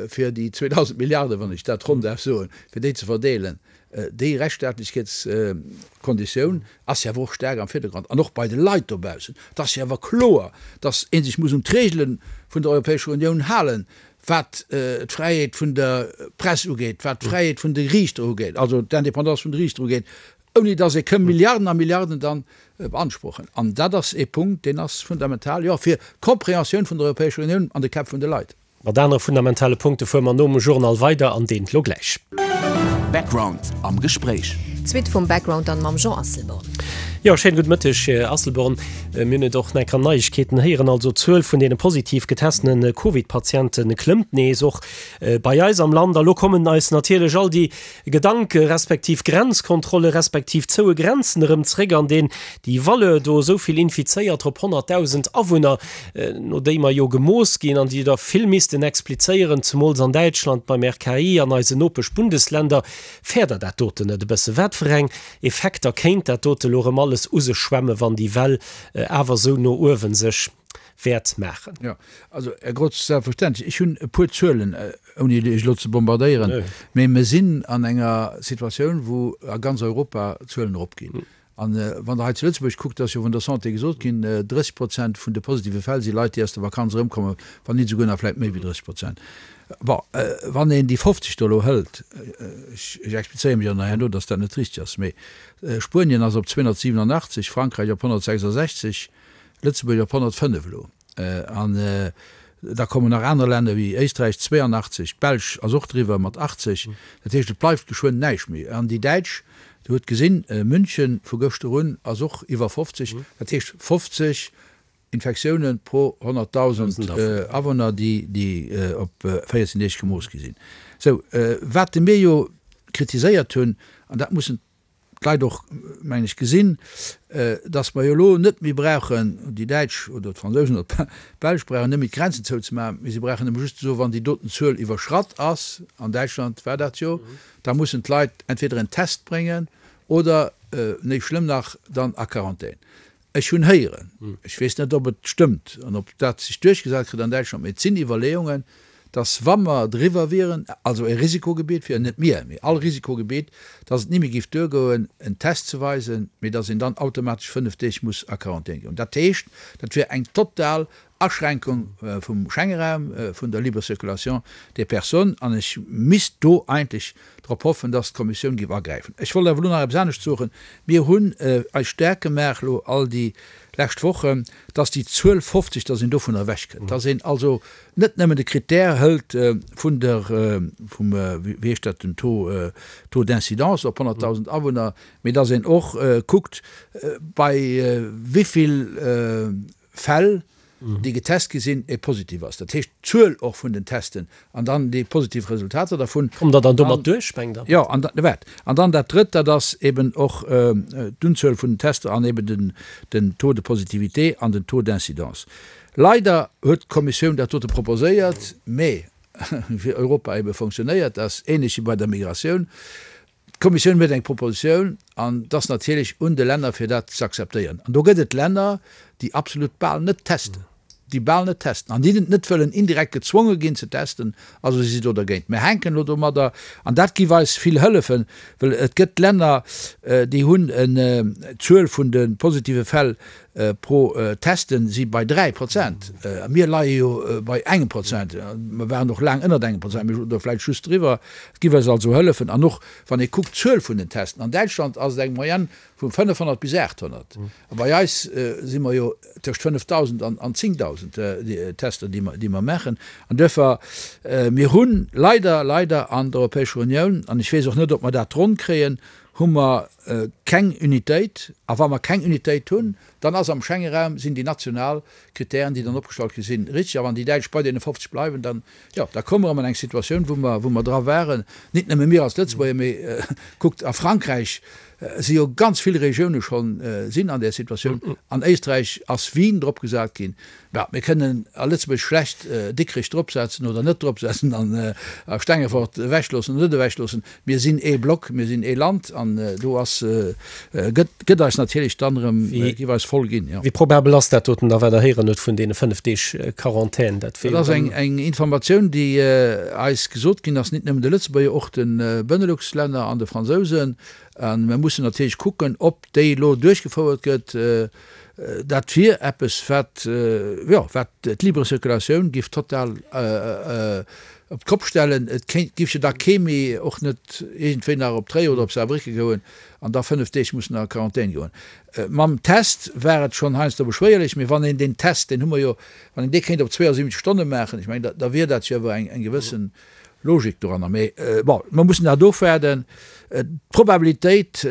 fir déi 2.000 Milliarden, wann ech dat ronn däerf soen, fir déi ze verdeelen, Déi Rechtsstaatlechkeetskonditioun ass jo awer och staark am Virdergrond an och bei de Leit dobaussen. Et ass jo awer kloer, datt ee sech muss un d'Regele vun der Europäescher Unioun halen, wat d'Fräiheet vun der Press ugeet, wat d'Fräiheet vun de Riichter ugeet, also d'Indépendance vun de Riichter ugeet, ouni datt ee kënn Milliarden a Milliarden dann beanspruchen. An dat ass ee Punkt, deen ass fundamental, jo, fir d'Compréhensioun vun der Europäescher Unioun an de Käpp vun de Leit. Mat anere fundamentale Punkte fuere mer nom Journal weider an deen lo gläich. Background am Gespréich. D'Suite vum Background dann mam Jean Asselborn. Jo, schéine gudde Mëtteg, Här Asselborn. Mir hunn et och nach an Neiegkeeten héieren, also d'Zuel vun deene positiv getestene Covid-Patiente klëmmt nees, och bei eis am Land. A lo kommen eis natierlech all déi Gedanke respektiv Grenzkontrolle respektiv zoue Grenzen erëm zréck an deen déi Valeur do, esou vill Infizéierter op 100.000 Awunner, no déi mer jo gemooss ginn an déi der vill missten explizéieren, zemools an Däitschland beim RKI an eisen Nopesch-Bundesländer. Fäert Der dat doten net e bësse? Wat fir eng Effekter kéint dat dote lo erëm alles u sech schwemmen, wann déi Well awer esou no uewen sech wäert maachen? Jo, also Här Grotz, selbstverständlech. Ech hunn e puer Zuelen, ouni Iech elo ze bombardéieren, mä mir sinn an enger Situatioun, wou a ganz Europa d'Zuelen eropginn. An wann Der hei zu Lëtzebuerg kuckt, ass jo vun der Santé gesot ginn, 30 Prozent vun de positive Fäll si Leit, déi aus der Vakanz erëmkommen, wann nit esouguer nach vläicht méi wéi 30 Prozent. Bon, wann een déi 50 do elo hëlt, ech explizéiere mech och nach herno, datt dat net richteg ass, mee Spuenien ass op 287, Frankräich op 166, Lëtzebuerg op 105 elo. An da kommen nach aner Länner wéi Éisträich, 82, d'Belsch ass och driwwer mat 80. Dat heescht, et bleift geschwënn näischt méi. An déi Däitsch, Dir hutt gesinn, München vu gëschter un ass och iwwer 50, dat heescht 50 Infektioune pro 100.000 Awunner, déi op 14 Deeg gemooss gi sinn. Sou, wat de mir jo kritiséiert hunn, an dat mussen d'Leit och, mengen ech, gesinn, dass mer jo elo net méi brauchen, déi Däitsch oder d'Fransousen oder d'Belsch brauchen net méi d'Grenzen zouzemaachen, mee se brauchen nëmme just ze soen, wann déi doten Zuel iwwerschratt ass, an Däitschland war dat jo, da mussen d'Leit entweder en Test bréngen oder, méi schlëmm nach, dann a Quarantän. Ech hunn héieren, ech weess net, ob et stëmmt an ob dat sech duerchgesat kritt an Däitschland, mee et sinn Iwwerleeungen, dass wa mer driwwer wieren, also e Risikogebiet wieren, net mir, mee all Risikogebiet, dass et ni méi géif duergoen, en Test ze weisen, mee dass een dann automatesch 5 Deeg muss a Quarantän goen. Dat heescht, dat wier eng total Aschränkung vum Schengeraum, vun der libre circulation des personnes, an ech misst do eigentlech drop hoffen, dass d'Kommissioun géif agräifen. Ech wollt awer elo nach eppes anescht soen. Mir hunn eis staark gemaach elo all déi lescht Wochen, dass déi Zuel 50, dass een dovunner ewechkënnt, dass een also net nëmmen de Critère hëlt vun der, vum, wéi heescht dat, den Taux, Taux d'incidence op 100.000 Awunner, mee dass een och kuckt, bei wéi vill Fäll, déi getest gi sinn, e positiv ass. Dat heescht d'Zuel och vun den Testen an dann déi positiv Resultater dervun. Kommt Der dann domat duerch, mengt Der? Jo, an dann, waart, an dann dat Drëtt, dat ass eben och d'Unzuel vun den Tester an eben den, den Taux de positivité an den Taux d'incidence. Leider huet d'Kommissioun dat dote proposéiert, mä wéi Europa ebe fonctionnéiert, ass ähnlech wéi bei der Migratioun, D'Kommissioun huet eng Propositioun an et ass natierlech un de Länner fir dat ze akzeptéieren. An do gëtt et Länner, déi absolut bal net testen, déi bal net testen an déi net wëllen indirekt gezwonge ginn ze testen. Also si si do dergéint. Mir hänken elo domadder an dat giff eis vill hëllefen, well et gëtt Länner, déi hunn en d'Zuel vun de positive Fäll pro Testen si bei 3%. Mir leie jo bei engem Prozent. Mer waren och laang ënnert engem Prozent, mee oder vläicht just driwwer. Et giff eis also hëllefen. An och wann ee kuckt d'Zuel vun den Testen, an Däitschland ass et eng Moyenne vu 500 bis 800. A bei eis si mer jo tëscht 5.000 an 10.000 Tester, déi mer, déi mer maachen. An duerfir, mir hu leider, leider an der Europäescher Unioun, an ech weess och net, ob mer dat ronn kréien, hu mer keng Unitéit. A wa mer keng Unitéit hunn, dann ass am Schengeraum, sinn déi national Kritären, déi dann opgestallt gi sinn, richtig. A wann déi Däitsch bei deene 50 bleiwen, dann, jo, da komme mer erëm an eng Situatioun, wou mer, wou mer dra waren, nit nëmme mir als Lëtzebuerger, mee kuckt, a Frankräich si jo ganz vill Regioune schonn, sinn an där Situatioun. An Éisträich ass Wien dropgesat ginn. Mä mir kënnen a Lëtzebuerg schlecht Dikrech dropsetzen oder net dropsetzen an a Stengefort ewechloossen oder net ewechloossen. Mir sinn ee Block, mir sinn ee Land an do ass, gëtt, gëtt eis natierlech dann erëm, géif eis voll ginn, jo. Wéi probabel ass dat doten da, wat Der héieren hutt vun deene 5 Deeg Quarantän? Dat wier jo dann. Dat ass eng, eng Informatioun, déi eis gesot ginn ass, nit nëmmen de Lëtzebuerger, och de Benelux-Länner an de Fransousen. A mir mussen natierlech kucken, ob déi elo duerchgefouert gëtt. Dat wier eppes, wat, jo, wat d'libre Circulatioun giff total op d'Kopp stellen. Et kéint, giff jo da kee méi, och net iergendwéi nach op Tréier oder op Saarbrécken goen an da 5 Deeg mussen a Quarantän goen. Mam Test war et schonn heiansdo beschwéierlech, mee wann een deen Test, deen hu mer jo, wann een dee kéint op 72 Stonne maachen, ech mengen, da, da wier dat jo awer eng, eng gewëssen. Logik doranner. Mee bon, mer mussen dat ofwaarden. D'Probabilitéit,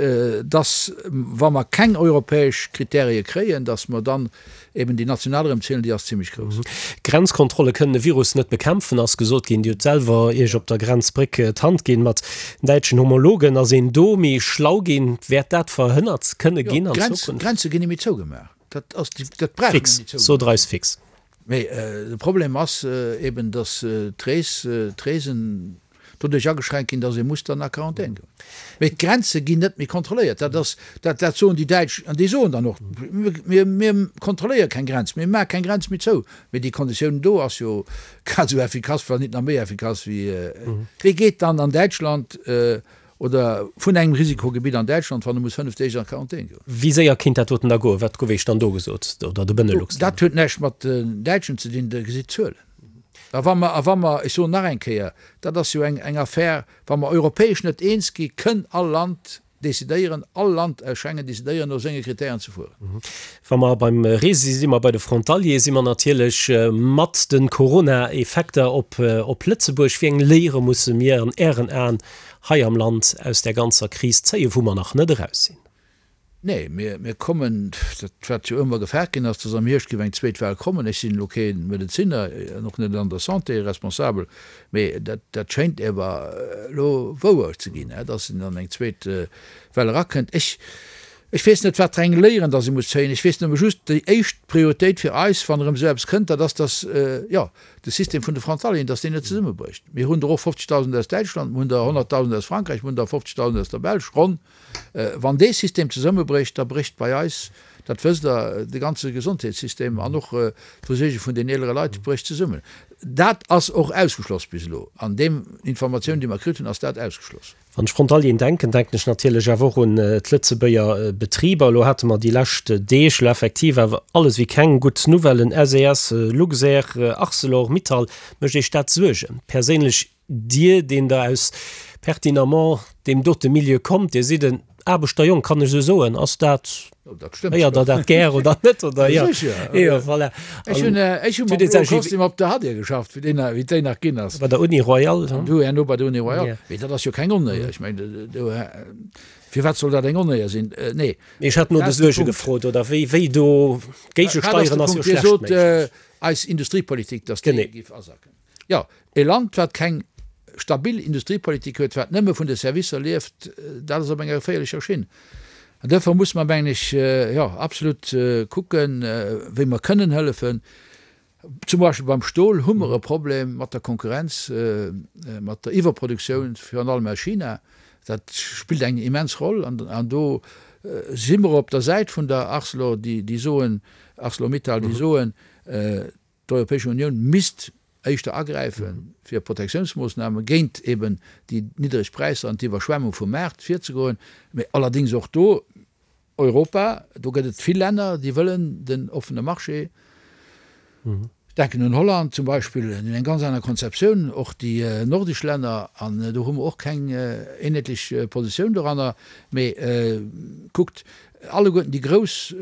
dass, wa mer keng europäesch Kritärie kréien, dass mer dann eben déi national erëm zielen, déi ass zimlech grouss. Grenzkontrolle kënnen e Virus net bekämpfen, ass gesot ginn. Dir hutt selwer Iech op der Grenzbréck d'Hand ginn mat däitschen Homologen. Ass een do méi schlau ginn? Wäert dat verhënnert kënne ginn an Zukunft? D'Grenze ginn net méi zougemaach. Dat ass, dat brauch een net méi zougemaach. Sot Der eis fix. Mee de Problem ass eben, datt d'Rees, d'Reesen doduerch ageschränkt ginn, datt ee muss dann a Quarantän goen. Mee d'Grenze ginn net méi kontrolléiert. Dat ass, dat, dat soen déi Däitsch an déi soen dann och, mir, mir kontrolléiere keng Grenz, mir maache keng Grenz méi zou. Mee déi Konditioun do ass jo grad esou effikass, wann nit nach méi effikass wéi, wee geet dann an Däitschland Oder vun engem Risikogebitt an Däitschland, wann e muss 5 Deeg an Quarantän goen. Wéi séier kéint dat doten da goen? Wat gouf Iech dann do gesot, oder de Benelux-Länner? Dat huet näischt mat den Däitschen ze dinn, Der gesitt d'Zuelen. A wa mer, a wa mer, ech soen nach eng Kéier, dat ass jo eng, eng Affär, wa mer europäesch net eens gi kënn all Land decidéieren, all Land aus Schengen decidéieren, no senge Kritären ze fueren. Wa mer beim Reese si, si mer bei de Frontalier, si mer natierlech mat de Corona-Effekter op, op Lëtzebuerg. Wéi eng Léiere musse mir an Ären Aen hei am Land aus där ganzer Kris zéien, wou mer nach net eraus sinn? Nee, mir, mir kommen, dat wat jo ëmmer gefaart ginn ass, dass am Hierscht géif eng zweet Well kommen. Ech sinn elo kee Medezinner an och net an der Santé responsabel, mee dat, dat schéint ewer elo wouer ze ginn, dass een an eng zweet Well erakënnt. Ech, ech weess net, wat fir eng Léieren dass ee muss zéien. Ech weess nëmme just, déi éischt Prioritéit fir eis, wann erëm esou eppes kënnt, dat ass, dass, jo, de System vun de Frontalieren, dass deen net zesummebrécht. Mir hunn der och 50.000 aus Däitschland, mir hunn der 100.000 aus Frankräich, mir hunn der 50.000 aus der Belsch, ronn. Wann dee System zesummebrécht, da brécht bei eis, dat wësst Der, de ganze Gesondheetssystem an och d'Versuerge vun den eelere Leit brécht zesummen. Dat ass och ausgeschloss bis elo. An deem Informatioun, déi mer kritt hunn, ass dat ausgeschloss. Wann ech Frontalieren denken, denken ech natierlech awer och un d'Lëtzebuerger Betriber. Elo hate mer déi lescht Deeg elo effektiv awer alles wéi keng gutt Nouvellen, SES, Luxair, Arcelor, Mittal. Mécht Iech dat Suergen perséinlech, Dir, deen Der aus pertinemment deem dote Milieu kommt? Dir sidd en Aarbechterjong, kann ech esou soen? Ass dat, héiert Der dat gär oder net? Oder jo? Jo, voilà. Ech hunn, ech hu mam bloe Kostüm op der Hadir geschafft, wéi déi, wéi déi nach ginn ass. Bei der Uni Royale, hm? Du herno bei der Uni Royale. Mee dat ass jo keng Onéier. Ech mengen, do, firwat soll dat eng Onéier sinn? Nee. Mee ech hat no de Suerge gefrot, oder wéi, wéi do géigesteieren ass jo schlecht méiglech. Dir sot, eis Industriepolitik, datt déi géif asacken. Jo, e Land, wat keng stabil Industriepolitik huet, wat nëmme vun de Servicer lieft, dat ass op enger geféierlecher Schinn. An duerfir musse mer, mengen ech, jo, absolut kucken, wéi mer kënnen hëllefen. Zum Beispill beim Stol hu mer e Problem mat der Konkurrenz, mat der Iwwerproduktioun, virun allem aus China. Dat spillt eng immens Roll. An do si mer op der Säit vun der Arcelor, déi soen, Arcelor-Mittal, déi soen, D'Europäesch Unioun misst éischter agräifen, fir Protektiounsmoossname géint eben déi niddreg Präisser an d'Iwwerschwemmung vum Maart virzegoen. Mee allerdéngs och do, Europa, do gëtt et vill Länner, déi wëllen den offene Marché. Ech denken un Holland zum Beispill, déi hunn eng ganz aner Konzeptioun, och déi nordesch Länner, an do hu mer och keng eenheetlech Positioun doranner. Mee kuckt, Alleguerten déi grouss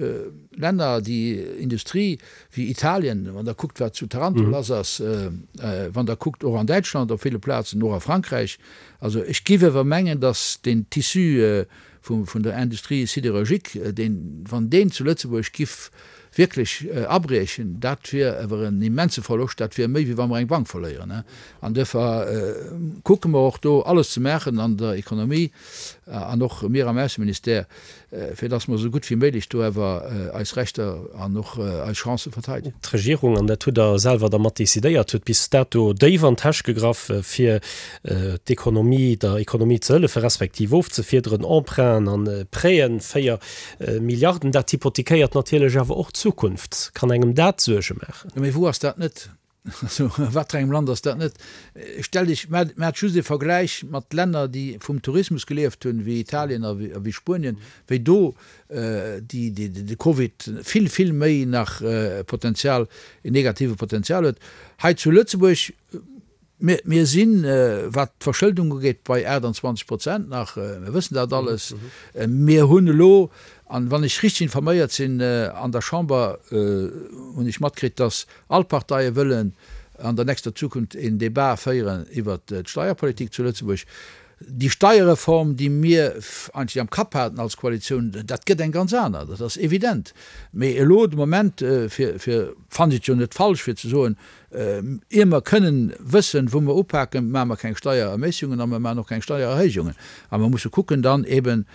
Länner, déi Industrie wéi Italien, wann Der kuckt, wat zu Taranto lass ass, wann Der kuckt och an Däitschland op ville Plazen, och a Frankräich. Also ech géif awer mengen, datt deen Tissu vun der Industrie sidérurgique, deen, wann deen zu Lëtzebuerg giff wierklech abriechen, dat wier awer en immense Verloscht, dat wier méi wéi wa mer eng Bank verléieren. An duerfir kucke mer och do alles ze maachen an der Economie an och mir am Ausseministère, fir dass mer esou gutt wéi méiglech do awer eis Rechter an och eis Chancë verteidegen. D'Regierung, an dat hutt Der selwer da mat decidéiert, huet bis dato déif an d'Täsch gegraff, fir d'Ekonomie, der Ekonomie ze hëllefen, respektiv ofzefiederen, Emprunten an Prêten, 4 Milliarden. Dat hypothekéiert natierlech awer och d'Zukunft. Kann engem dat Suerge maachen? Jo, mee wou ass dat net? Also a wat fir engem Land ass dat net? Stell dech, maacht just e Vergläich mat Länner, déi vum Tourismus gelieft hunn, wéi Italien a wéi Spuenien, wéi do déi de Covid vill, vill méi nach Potenzial, en negative Potenzial huet. Hei zu Lëtzebuerg, mir, mir sinn, wat d'Verschëldung ugeet, bei 28 Prozent nach, mir wëssen dat alles. Mir hunn elo, an wann ech richteg informéiert sinn, an der Chamber hunn ech matkritt, datt All Parteie wëllen. an der nächster Zukunft een Debat féieren iwwert d'Steierpolitik zu Lëtzebuerg. Déi Steierreform, déi mir eigentlech am Kapp haten als Koalitioun, dat gëtt eng ganz aner, dat ass evident. Mee elo de Moment, fir, fir, fannen ech et jo net falsch, fir ze soen, ier mer kënnen wëssen, wou mer upaken, maache mer keng Steiererméissegungen a mer maachen och keng Steiererhéijungen. A mer musse kucken dann eben,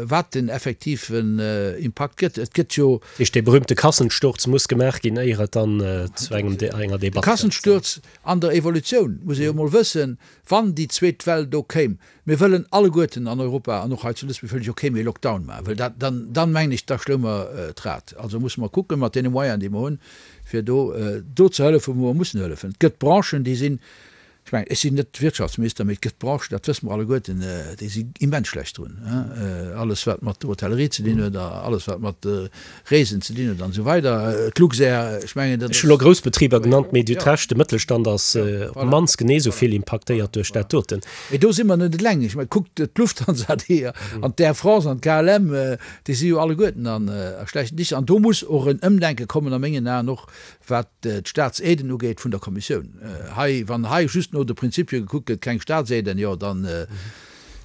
wat den effektiven Impakt gëtt. Et gëtt jo. Dat heescht, dee berühmte Kassensturz muss gemaach ginn, éier et dann zu engem, enger Debatt kënnt. De Kassensturz an der Evolutioun muss ee jo emol wëssen, Wann déi zweet Well do kéim, mir wëllen alleguerten an Europa an och hei zu Lëtzebuerg wëll ech och kee méi Lockdown maachen, well dat, dann, dann mengen ech, da schloe mer d'Rad. Also musse mer kucken, mat deene Moyenen, déi mer hunn, fir do, do ze hëllefen, wou mer mussen hëllefen. Et gëtt Branchen, déi sinn, ech mengen, ech sinn net Wirtschaftsminister, mee et gëtt Branchen, dat wësse mer alleguerten, déi si immens schlecht drun, alles wat mat der Hotellerie ze dinn huet a alles wat mat Reesen ze dinn huet an esou weider. D'Luxair, ech mengen, dat Ech hu lo grouss Betriber genannt, mee Dir hutt Recht, de Mëttelstand ass op d'mannst genee esou vill impaktéiert duerch dat doten. Mee do si mer net eleng. Ech mengen, kuckt d'Lufthansa déi an d'Air France an d'KLM, déi si jo alleguerten a schlechten Dicher. An do muss och en Ëmdenke kommen a mengen Aen och, wat d'Staatsaiden ugeet vun der Kommissioun. Hei, wann hei just no de Prinzipie gekuckt gëtt, keng Staatsaiden, jo dann,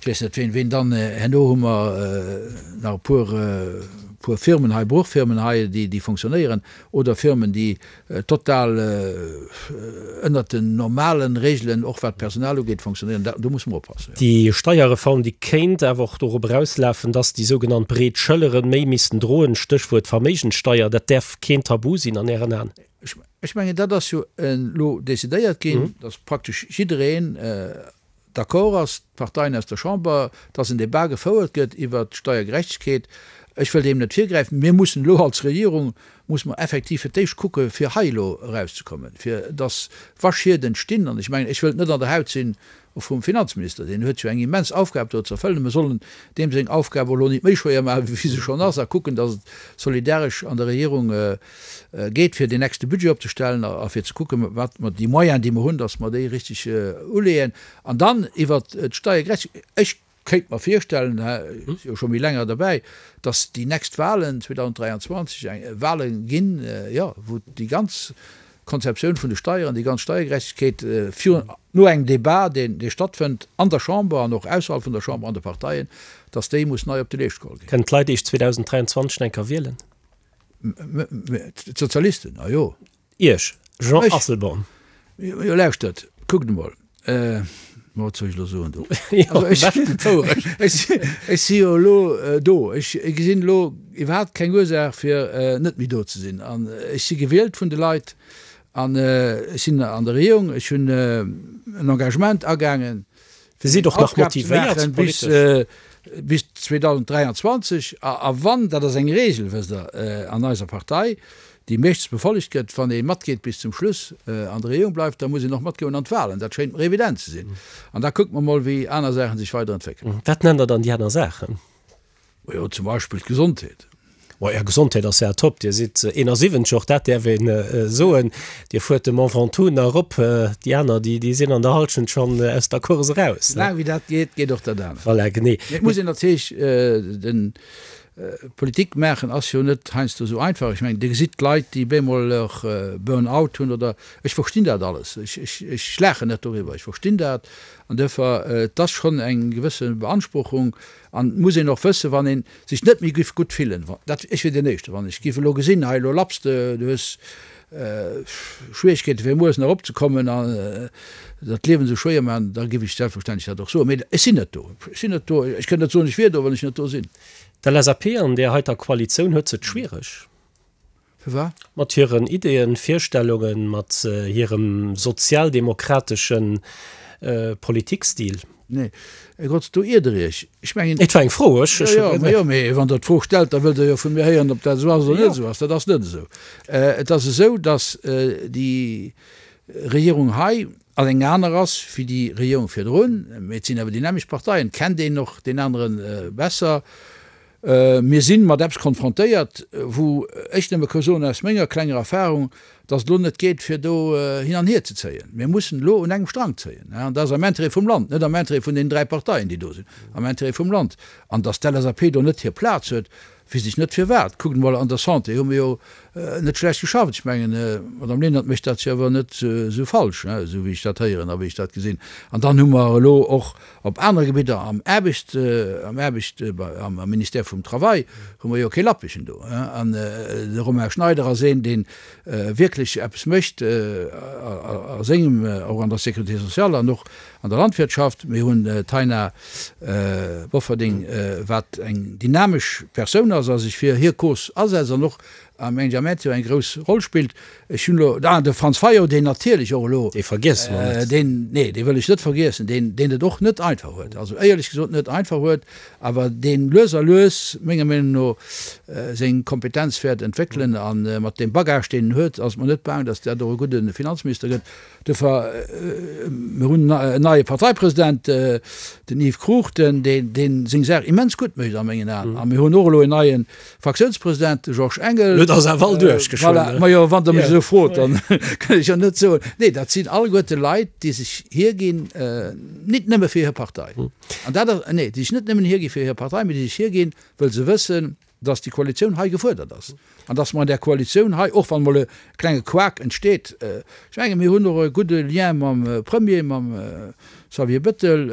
Ech weess net, ween, ween dann. Herno hu mer nach e puer, puer Firmen hei, Bruchfirmen hei, déi, déi fonctionnéieren, oder Firmen, déi total ënnert den normale Regelen, och wat d'Personal ugeet, fonctionnéieren. Da, do musse mer oppassen, jo. Déi Steierreform, déi kéint awer och dorop erauslafen, dass déi sougenannt breet Schëlleren méi missten droen, Stéchwuert Verméigenssteier. Dat däerf keen Tabu sinn an Ären Aen? Ech, ech mengen, dat ass jo elo decidéiert ginn, dass praktesch jiddereen, d'accord ass, d'Parteien aus der Chamber, dass en Débat gefouert gëtt iwwert d'Steiergerechtegkeet. Ech wëll deem net virgräifen. Mir mussen elo als Regierung, musse mer effektiv fir d'éischt kucke fir hei elo erauszekommen, fir dass, wa Schied entstinn, an ech mengen, ech wëllt net an der Haut sinn vum Finanzminister, deen huet jo eng immens Aufgab do ze erfëllen, mer sollen deem seng Aufgab och elo nit méi schwéier maachen, wéi se schonn ass, a kucken, dass et solidaresch an der Regierung geet, fir deen nächste Budget opzestellen a fir ze kucken, wat mer déi Moyens, déi mer hunn, dass mer déi richtig uleeën. An dann iwwert d'Steiergerechtegkeet, ech kéint mer virstellen, ech si jo scho méi länger derbäi, dass déi nächst Wahlen 2023 eng Wahle ginn, jo, wou déi ganz Konzeptioun vun de Steieren, déi ganz Steiergerechtegkeet virun, no engem Débat, deen, dee stattfënnt an der Chamber an och ausserhalb vun der Chamber an de Parteien, dass déi muss nei op de Leescht geholl ginn. Kënnen d'Leit Iech 2023 nach eng Kéier wielen? D'Sozialisten, a jo. Iech, Jean Asselborn. Jo, lauschtert, kuckt emol, ma wat soll ech elo soen do? Jo, am beschten d'Wourecht. Ech si jo elo do. Ech gesinn elo iwwerhaapt keng Ursaach, fir net méi do ze sinn. An ech si gewielt vun de Leit an ech sinn an der Regierung. Ech hunn en Engagement agaangen, Dir sidd och nach motivéiert politesch. Bis 2023. A wann, dat ass eng Regel, wësst Der, an eiser Partei, déi meeschtens befollegt gëtt, wann ee matgeet bis zum Schluss an der Regierung bleift, da muss een och matgoen an d'Wahlen. Dat schéint mer evident ze sinn. An da kucke mer mol, wéi aner Saache sech weider entwéckelen. Wat nennt Der dann déi aner Saachen? Majo, zum Beispill d'Gesondheet. Bon, Är Gesondheet ass ja top. Dir sidd 71, och dat däerf een soen. Dir fuert de Mont Ventoux nach erop. Déi aner, déi, déi sinn an der Hallschent schonn aus der Course eraus. Soulaang wéi dat geet, geet och dat anert. Voilà, genee. Mee et muss een natierlech den, Politik maachen ass jo net heiansdo esou einfach. Ech mengen, Dir gesitt d'Leit, déi bemol och Burn-out hunn oder, ech verstinn dat alles. Ech, ech, ech laachen net doriwwer, ech verstinn dat. An duerfir, et ass schonn eng gewësse Beanspruchung. An et muss een och wëssen, wann ee sech net méi giff gutt fillen, dat, ech wier deen Éischten, wann ech giff elo gesinn, hei elo lapps de, du hues Schwierigkeeten fir mueres nach eropzekommen an der d'Liewen esou schwéier maachen, da giff ech selbstverständlech dat och soen. Mee ech sinn net do. Ech sinn net do. Ech kënnt net soen, ech wier do, wann ech net do sinn. D'LSAP an där heiter Koalitioun huet se et schwiereg. Firwat? Mat hiren Ideeën, Virstellungen, mat hirem sozialdemokratesche Politikstil. Nee, Här Grotz, do iert Der Iech. Ech mengen. Et war eng Fro, ech. Jo, jo, ma jo, mee wann Der d'Fro stellt, da wëllt Der jo vu mir héieren, ob dat esou ass oder net esou ass. Dat ass net esou. Et ass esou, datt déi Regierung hei an eng aner ass wéi déi Regierung virdrun, mee et sinn awer déi nämmlecht Parteien, et kennt een och deen anere besser. Mir si mat eppes konfrontéiert, wou ech nëmme ka soen aus menger klenger Erfahrung, dass et elo net geet, fir do hin an hier ze zéien. Mir mussen elo un engem Strang zéien. An dat ass am Intérêt vum Land, net am Intérêt vun deenen 3 Parteien, déi do sinn, am Intérêt vum Land. An dass d'LSAP do net hir Plaz huet, weess ech net firwat. Kuckt emol, an der Santé hu mir jo net schlecht geschafft. Ech mengen, d'Madame Lenert mécht dat jo awer net esou falsch, esou wéi ech dat héieren a wéi ech dat gesinn. An dann hu mer elo och op anere Gebidder, am Aarbecht, am Aarbecht, am Ministère vum Travail hu mer jo kee Lappegen do. An de Romain Schneider ass een, dee wierklech eppes mécht a sengem, och an der Sécurité sociale an och an der Landwirtschaft. Mir hunn d'Taina Bofferding, wat eng dynamesch Persoun ass a sech fir hir Cause asetzt an och am Engagement jo eng grouss Roll spillt. Ech hunn elo, ah, de Franz Fayot, deen natierlech och elo, Dee vergiesse mer net. deen, nee, dee wëll ech net vergiessen, deen, deen et och net einfach huet, also éierlech gesot net einfach huet, awer deen lues a lues, menger Meenung no, seng Kompetenz wäert entwéckelen. A mat deem Bagage, deen en huet, ass et mer net baang, datt dat och e gudde Finanzminister gëtt. Duerfir, mir hunn en neie Parteipresident, den Yves Cruchten, dee seng Saach immens gutt mécht a mengen Aen. A mir hunn och elo en neie Fraktiounspresident, de Georges Engel. Elo ass awer all duerch geschwënn. Voilà, majo, wann Der mech esou frot, dann kann ech jo net soen. Nee, dat sinn alleguerte Leit, déi sech hierginn, nit nëmme fir hir Partei. An dat ass, nee, déi sech net nëmmen hiergi fir hir Partei, mee déi sech hierginn, wëll se wëssen, dass déi Koalitioun hei gefuerdert ass an dass mer an där Koalitioun hei, och wann emol e klenge Couac entsteet, ech menge mir hunn och e gudde Lien mam Premier, mam Xavier Bettel,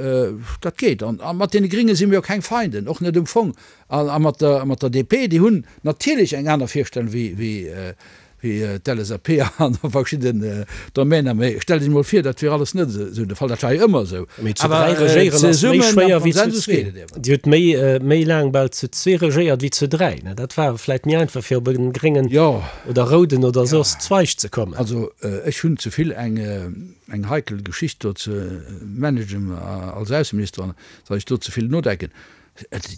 dat geet. An mat deene Gringe si mir jo keng Feinden, och net um Fong. A mat der DP, déi hunn natierlech eng aner Virstellung wéi wéi d'LSAP an a verschidden Domäner. Mee stellt Iech emol vir, dat wier alles net esou de Fall. Dat war jo ëmmer esou. Mee zu 3 regéieren ass méi schwéier wéi zu zwee. Dir hutt méi, méi laang bal zu zwee regéiert wéi zu 3. Dat war vläit méi einfach fir op e gréngen oder rouden oder soss Zweig ze kommen. Also ech hunn ze vill eng, eng heikel Geschicht do ze managen als Ausseminister, an datt ech do ze vill nodenken.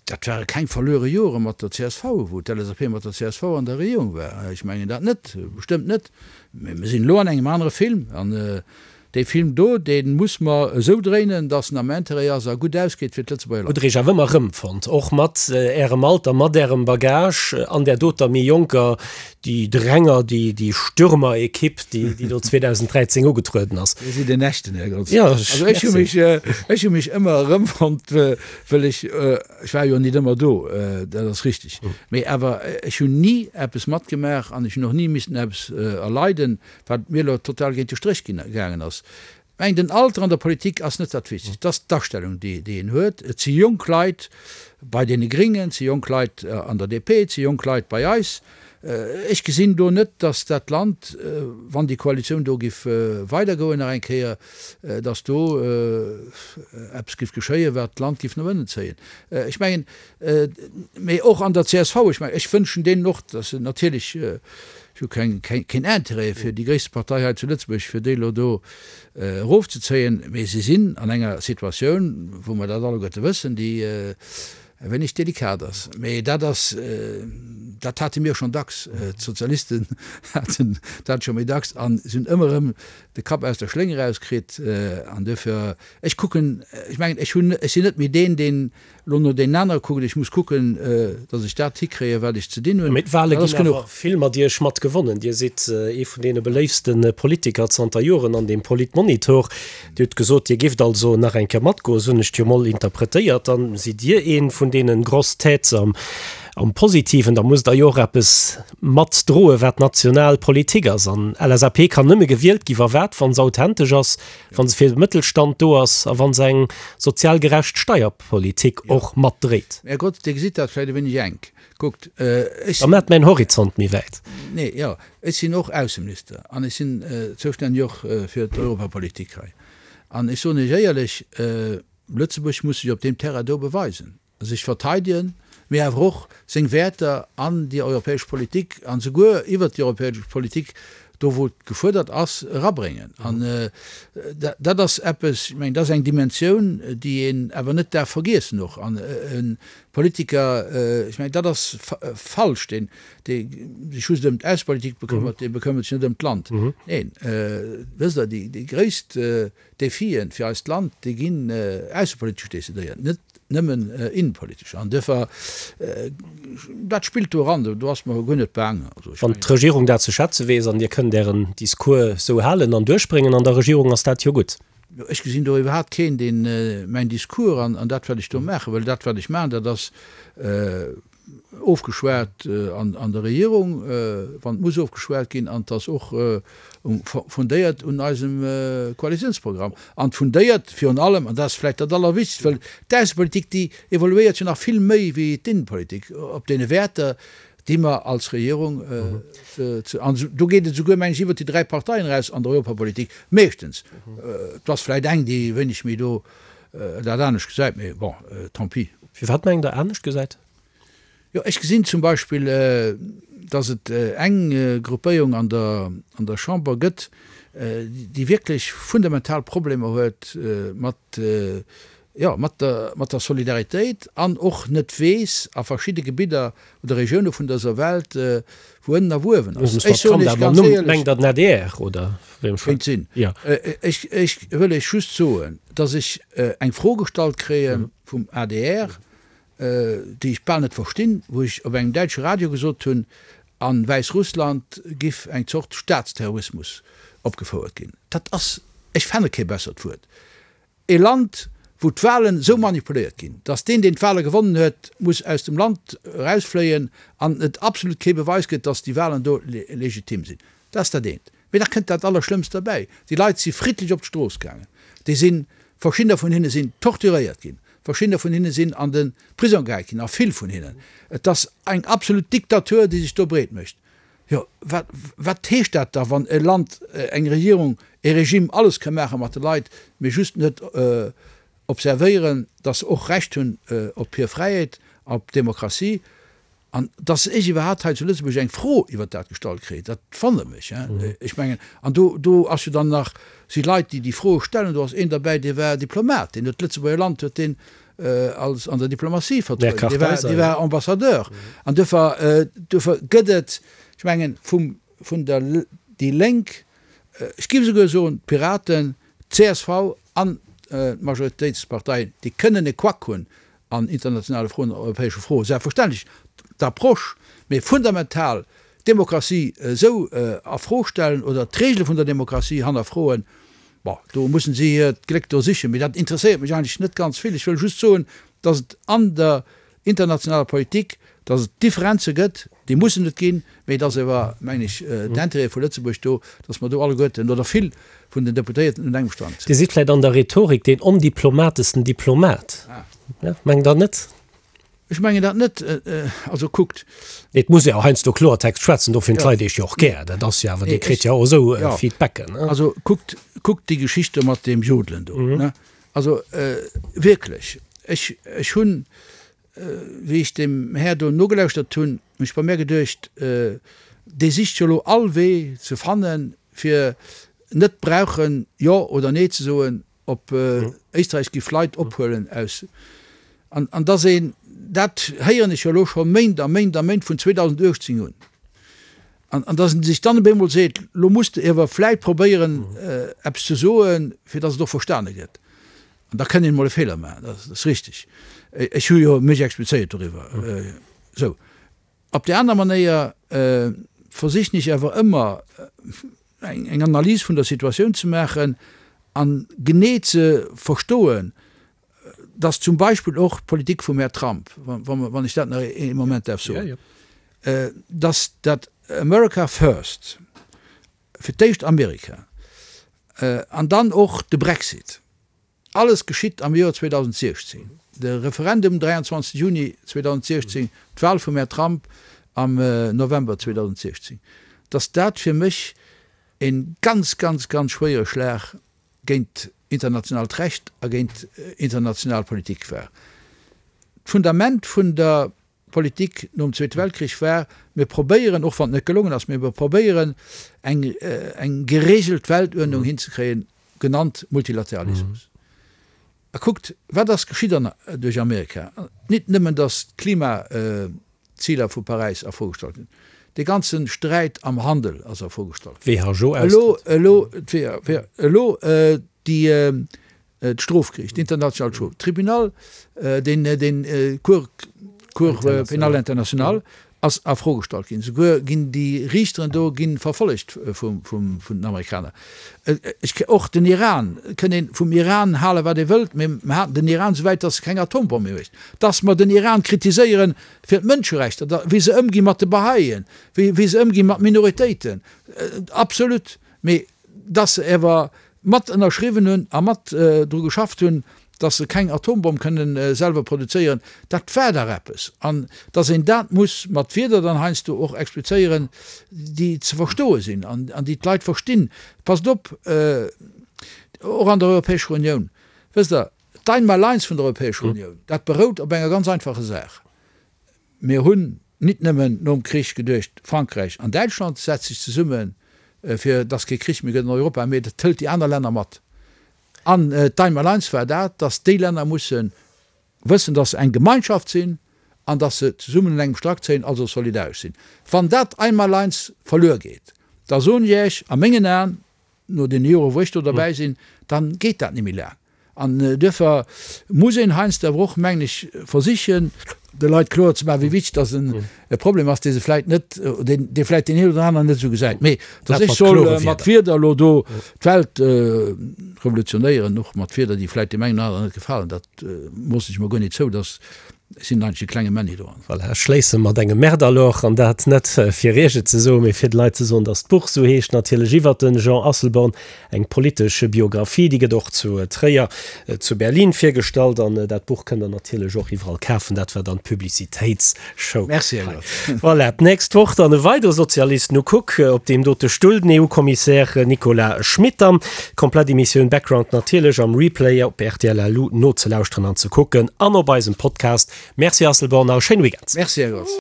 Dat ware keng verluere Jore mat der csv, wou d'LSAP mat der csv an der Regierung war. Ech mengen dat net, bestëmmt net. Mä mir sinn elo an engem anere Film. An dee Film do, dee muss mer esou dréinen, datt en am Intérêt ass a gutt ausgeet fir d'Lëtzebuerger Leit. Hutt Der Iech awer ëmmer erëmfonnt, och mat Ärem Alter, mat Ärem Bagage an där doter méi jonker Déi Dränger, déi, déi Stürmer-Ekipp, déi, déi do 2013 ugetrueden ass. Dir sidd en echten, Här Grotz. Ja, Also ech hu mech, ech hu mech ëmmer erëmfonnt, wëll ech, ech war jo nit ëmmer do, dat ass richtig, mee awer ech hunn ni eppes matgemaach an ech hunn och ni missten eppes erleiden, wat mir elo total géint de Stréch ginn, gaangen ass. Ech mengen, den Alter an der Politik ass net dat Wichtegst, et ass d'Astellung, déi een huet. Et si jonk Leit bei deene Gringen, et si jonk Leit an der DP, et si jonk Leit bei eis. Ech gesinn do net, datt dat Land, wann déi Koalitioun do giff weidergoen nach eng Kéier, datt do eppes giff geschéien, wat d'Land giff no ënnen zéien. Ech mengen, mee och an der csv, ech mengen, ech wënschen deenen och, datt se natierlech, Ech hu keng, keen Intérêt fir déi gréisste Partei hei zu Lëtzebuerg, fir déi elo do erofzezéien, mee se sinn an enger Situatioun, wou mer dat alleguerte wëssen, déi e wéineg delikat ass. Mee dat ass, dat hate mir schonn dacks, d'Sozialisten haten dat scho méi dacks a se hunn ëmmer erëm de Kapp aus der Schléng erauskritt. An duerfir, ech kucken, ech mengen, ech hunn, ech sinn net méi deen, deen Lo no deenen anere kucken, ech muss kucken, datt ech dat hikréien, wat ech ze dinn hunn. Mee d'Wale ginn awer vill mat Iech mat gewonnen. Dir sidd ee vun deene beléiftste Politiker zanter Joren an dem Politmonitor. Dir hutt gesot, Dir gifft also nach eng Kéier matgoen, esou hunn ech et jo mol interpretéiert. Dann sidd Dir ee vun deene grosses têtes am am Positiven. Da musst Der jo och eppes mat droen, wat national Politik ass. An LSAP kann nëmme gewielt gi wa wat? Wa se authentesch ass, Wa se fir de Mëttelstand do ass a wa se eng sozial gerecht Steierpolitik och matdréit. Här Grotz, Dir gesitt dat vläicht e wéineg enk. Kuckt, ech Da maacht mäin Horizont méi wäit. Nee, jo, ech sinn och Ausseminister an ech sinn zoustänneg och fir d'Europapolitik hei. An ech soen Iech éierlech, Lëtzebuerg muss sech op deem Terrain do beweisen. sech verteidegen, mee awer och seng Wäerter an déi europäesch Politik an souguer iwwert déi europäesch Politik, do wou et gefuerdert ass, erabréngen. An dat ass eppes, ech mengen, dat ass eng Dimensioun, déi een awer net darf vergiessen och. An e Politiker, ech mengen, dat ass falsch, deen, dee sech just ëm d'Aussepolitik bekëmmert, dee bekëmmert sech net ëm d'Land. Neen, wësst Der, déi gréisst Defien fir eist Land, déi ginn aussepolitesch decidéiert, net. nëmmen innenpolitesch. An duerfir, dat spillt do eran, do ass mer guer net baang. Also ech Wann mengen. d'Regierung dat ze schätze weess an Dir kënnt Ären Discours esou halen an duerchbréngen an der Regierung, ass dat jo gutt. Jo, ech gesinn do iwwerhaapt keen, deen mäin Discours an dat, wat ech do maachen, well dat, wat ech maachen, dat ass ofgeschwat an der Regierung, wann et muss ofgeschwat ginn, an et ass och fundéiert un eisem Koalitiounsprogramm an fundéiert virun allem, an dat ass vläicht dat Allerwichtegst, well d'Aussepolitik, déi evoluéiert jo nach vill méi wéi d'Innenpolitik, op deene Wäerter, déi mer als Regierung ze, an do geet et esouguer, meng ech, iwwert déi 3 Parteien eraus an der Europapolitik, meeschtens. Et ass vläicht eng, déi e wéineg méi do dat anescht gesäit, mee bon, tant pis. Firwat mengt Der anescht gesäit? Jo, ech gesinn zum Beispill, datt et eng Gruppéierung an der, an der Chamber gëtt, déi wierklech fundamental Problemer huet mat, jo, mat der, mat der Solidaritéit an och net weess a verschidde Gebidder oder Regioune vun dëser Welt, wou ënnen a wou uewen ass. Ech soen Iech ganz éierlech. Mengt Der den adr oder wéi? Kéint sinn. Ech, ech wëll Iech just soen, datt ech eng Fro gestallt kréie vum adr, déi ech bal net verstinn, wou ech op engem däitsche Radio gesot hunn, a Wäissrussland giff eng Zort Staatsterrorismus opgefouert ginn. Dat ass, ech fenne kee bessert Wuert, E Land, wou d'Wahlen esou manipuléiert ginn, datt deen, deen d'Wahle gewonnen huet, muss aus dem Land erausfléien an et absolut kee Beweis gëtt, datt déi Wahlen do legitim sinn. Dat ass dat eent. Mee da kënnt dat Allerschlëmmst derbäi, Déi Leit si friddlech op d'Strooss gaangen. Déi sinn, verschiddener vun hinne sinn torturéiert ginn, verschiddener vun hinne sinn an de Prisong gehäit ginn, a vill vun hinnen. Et ass eng absolut Diktatur, déi sech do breet mécht. Jo, wat, wat heescht dat da, wann e Land, eng Regierung, e Regime alles ka maache mat de Leit, mee just net observéieren, datt se och Recht hunn op hir Fräiheet, op Demokratie? An datt ech iwwerhaapt hei zu Lëtzebuerg eng Fro iwwert dat gestallt kréien, dat wonnert mech. Ech mengen, an do, do ass jo dann nach, si Leit, déi déi Froe stellen, do ass een derbäi, dee war Diplomat, deen huet d'Lëtzebuerger Land huet deen als an der Diplomatie vertrueden, dee war, dee war Ambassadeur. An duerfir, duerfir gëtt et, ech mengen, vum, vun der déi Lénk, ech géif esouguer soen, d'Piraten, d'CSV an d'Majoritéitsparteien, déi kënnen e Quack hunn an internationale Froen, an europäesche Froen, selbstverständlech d'Approche, mee fundamental d'Demokratie esou a Fro stellen oder d'Regele vun der Demokratie hannerfroen, Bon, do mussen si hiert Gléck do sichen, mee dat interesséiert mech eigentlech net ganz vill. Ech wëll just soen, dass et an der internationaler Politik, dass et Differenze gëtt, déi mussen et ginn, mee et ass awer, mengen ech, d'Intérêt vu Lëtzebuerg do, dass mer do alleguerten oder vill vun den Deputéierten un engem Strang zéien. Dir sidd vläicht an der Rhetorik deen ondiplomatesten Diplomat, mengt Der net? Ech mengen dat net. Also kuckt. Et muss ee jo heiansdo Kloertext schwätzen, dofir hunn d'Leit Iech jo och gär. Dat ass jo awer, Dir kritt jo och esou Feedbacken. Also kuckt, kuckt déi Geschicht do mat deem Jodelen do. Also wierklech, ech, ech hunn, wéi ech deem Här do nogelauschtert hunn, hunn ech bei mär geduecht, dee sicht jo elo all Wee ze fannen, fir net brauchen Jo oder Nee ze soen Op Éisträich giff Leit ophuelen aus, an an dass een, dat héieren ech jo elo scho Méint a Méint a Méint, vun 2018 un, an an dass een sech dann op eemol seet, lo muss de iewer vläit probéieren eppes ze soen, fir dass et och verstane gëtt. An da kënn een emol e Feeler maachen, dat ass richtig. Ech hu jo mech explizéiert doriwwer. Sou. Op där aner Manéier versichen ech awer ëmmer eng Analys vun der Situatioun ze maachen an genee ze verstoen, dass zum Beispill och d'Politik vum Här Trump, wann ech dat nach ee Moment däerf soen, dass dat America first, fir d'éischt Amerika, an dann och de Brexit, Alles geschitt am Joer 2016, de Referendum 23 Juni 2016, d'Wahl vum Här Trump am November 2016, dass dat fir mech e ganz, ganz, ganz schwéiere Schlag géint internationaalt Recht a géint international Politik war. D'Fundament vun der Politik nom Zweete Weltkrich war, mir probéieren, och wann et net gelongen ass, mee mir probéieren eng eng geregelt Weltuerdnung hinzekréien, genannt Multilateralismus. A kuckt, wat ass geschitt an duerch Amerika? Nit nëmmen, datt d'Klimaziler vu Paräis a Fro gestallt ginn, dee ganze Sträit am Handel ass a Fro gestallt ginn. WHO-Austrëtt. Elo, elo, elo déi. D'Strofgeriicht, d'Internationalt Strof Tribunal, deen, deen Cour, Cour pénale internationale ass a Fro gestallt ginn. Souguer ginn déi Riichteren do gi verfollegt vum, vum, vun den Amerikaner. Ech, och den Iran, et kënn ee vum Iran hale wat ee wëllt, mee mer haten den Iran souwäit, datt se keng Atombomm méi mécht. Datt mer den Iran kritiséiere fir d'Mënscherechter, da wéi se ëmgi mat de Bahá'íen, wéi, wéi se ëmgi mat Minoritéiten, absolut. Mee datt se awer mat ënnerschriwwen hunn a mat dru geschafft hunn, datt se keng Atombomm kënnen selwer produzéieren, dat war dach eppes. An datt een dat muss mat Wierder dann heiansdo och explizéieren, déi ze verstoe sinn an déi d'Leit verstinn. Passt op, och an der Europäescher Unioun, wësst Der, d'Einmaleins vun der Europäescher Unioun, dat berout op enger ganz einfacher Saach, Mir hunn nit nëmmen nom Krich geduecht, Frankräich an Däitschland setzt sech zesumme fir dass kee Krich méi gëtt an Europa, mee dat hëlt déi aner Länner mat. An d'Einmaleins war dat, dass déi Länner musse wëssen, dass se eng Gemeinschaft sinn an dass se zesummen un engem Strack zéien, also solidaresch sinn. Wann dat Einmaleins verluer geet, da soen ech Iech, a mengen Aen, no deene Jore wou ech do derbäi sinn, da geet dat net méi laang. An duerfir muss een heiansdo awer och, mengen ech, versichen, de Leit kloer ze maachen, wéi wichteg dass e Problem ass, dee se vläicht net, dee vläicht deen een oder aneren net esou gesäit. Mee dass ech soll mat Wierder elo do d'Welt revolutionéieren, och mat Wierder, déi vläicht deem engen oder aneren net gefalen, dat moossen ech mer guer net zou. Dass Ech sinn eigentlech e klenge Männi do. Voilà, ech schléisse mat engem Merde alors, an dat net fir Iech et ze soen, mee fir de Leit ze soen, dass d'Buch esou heescht, natierlech iwwert de Jean Asselborn, eng politesch Biographie, déi gëtt och zu Tréier, zu Berlin virgestallt an dat Buch kënnt der natierlech och iwwerall kafen. Dat war dann d'Publicitéitsshow. Merci, Här Grotz. Voilà, d'nächst Woch dann e weidere Sozialist, nu kuck, op deem dote Stull, den EU-Kommissär Nicolas Schmit dann. D'komplett Emissioun Background natierlech am Replay op rtl.lu nozelauschteren an ze kucken an op eisem Podcast. Merci Asselborn a e schéine Weekend. Merci Här Grotz.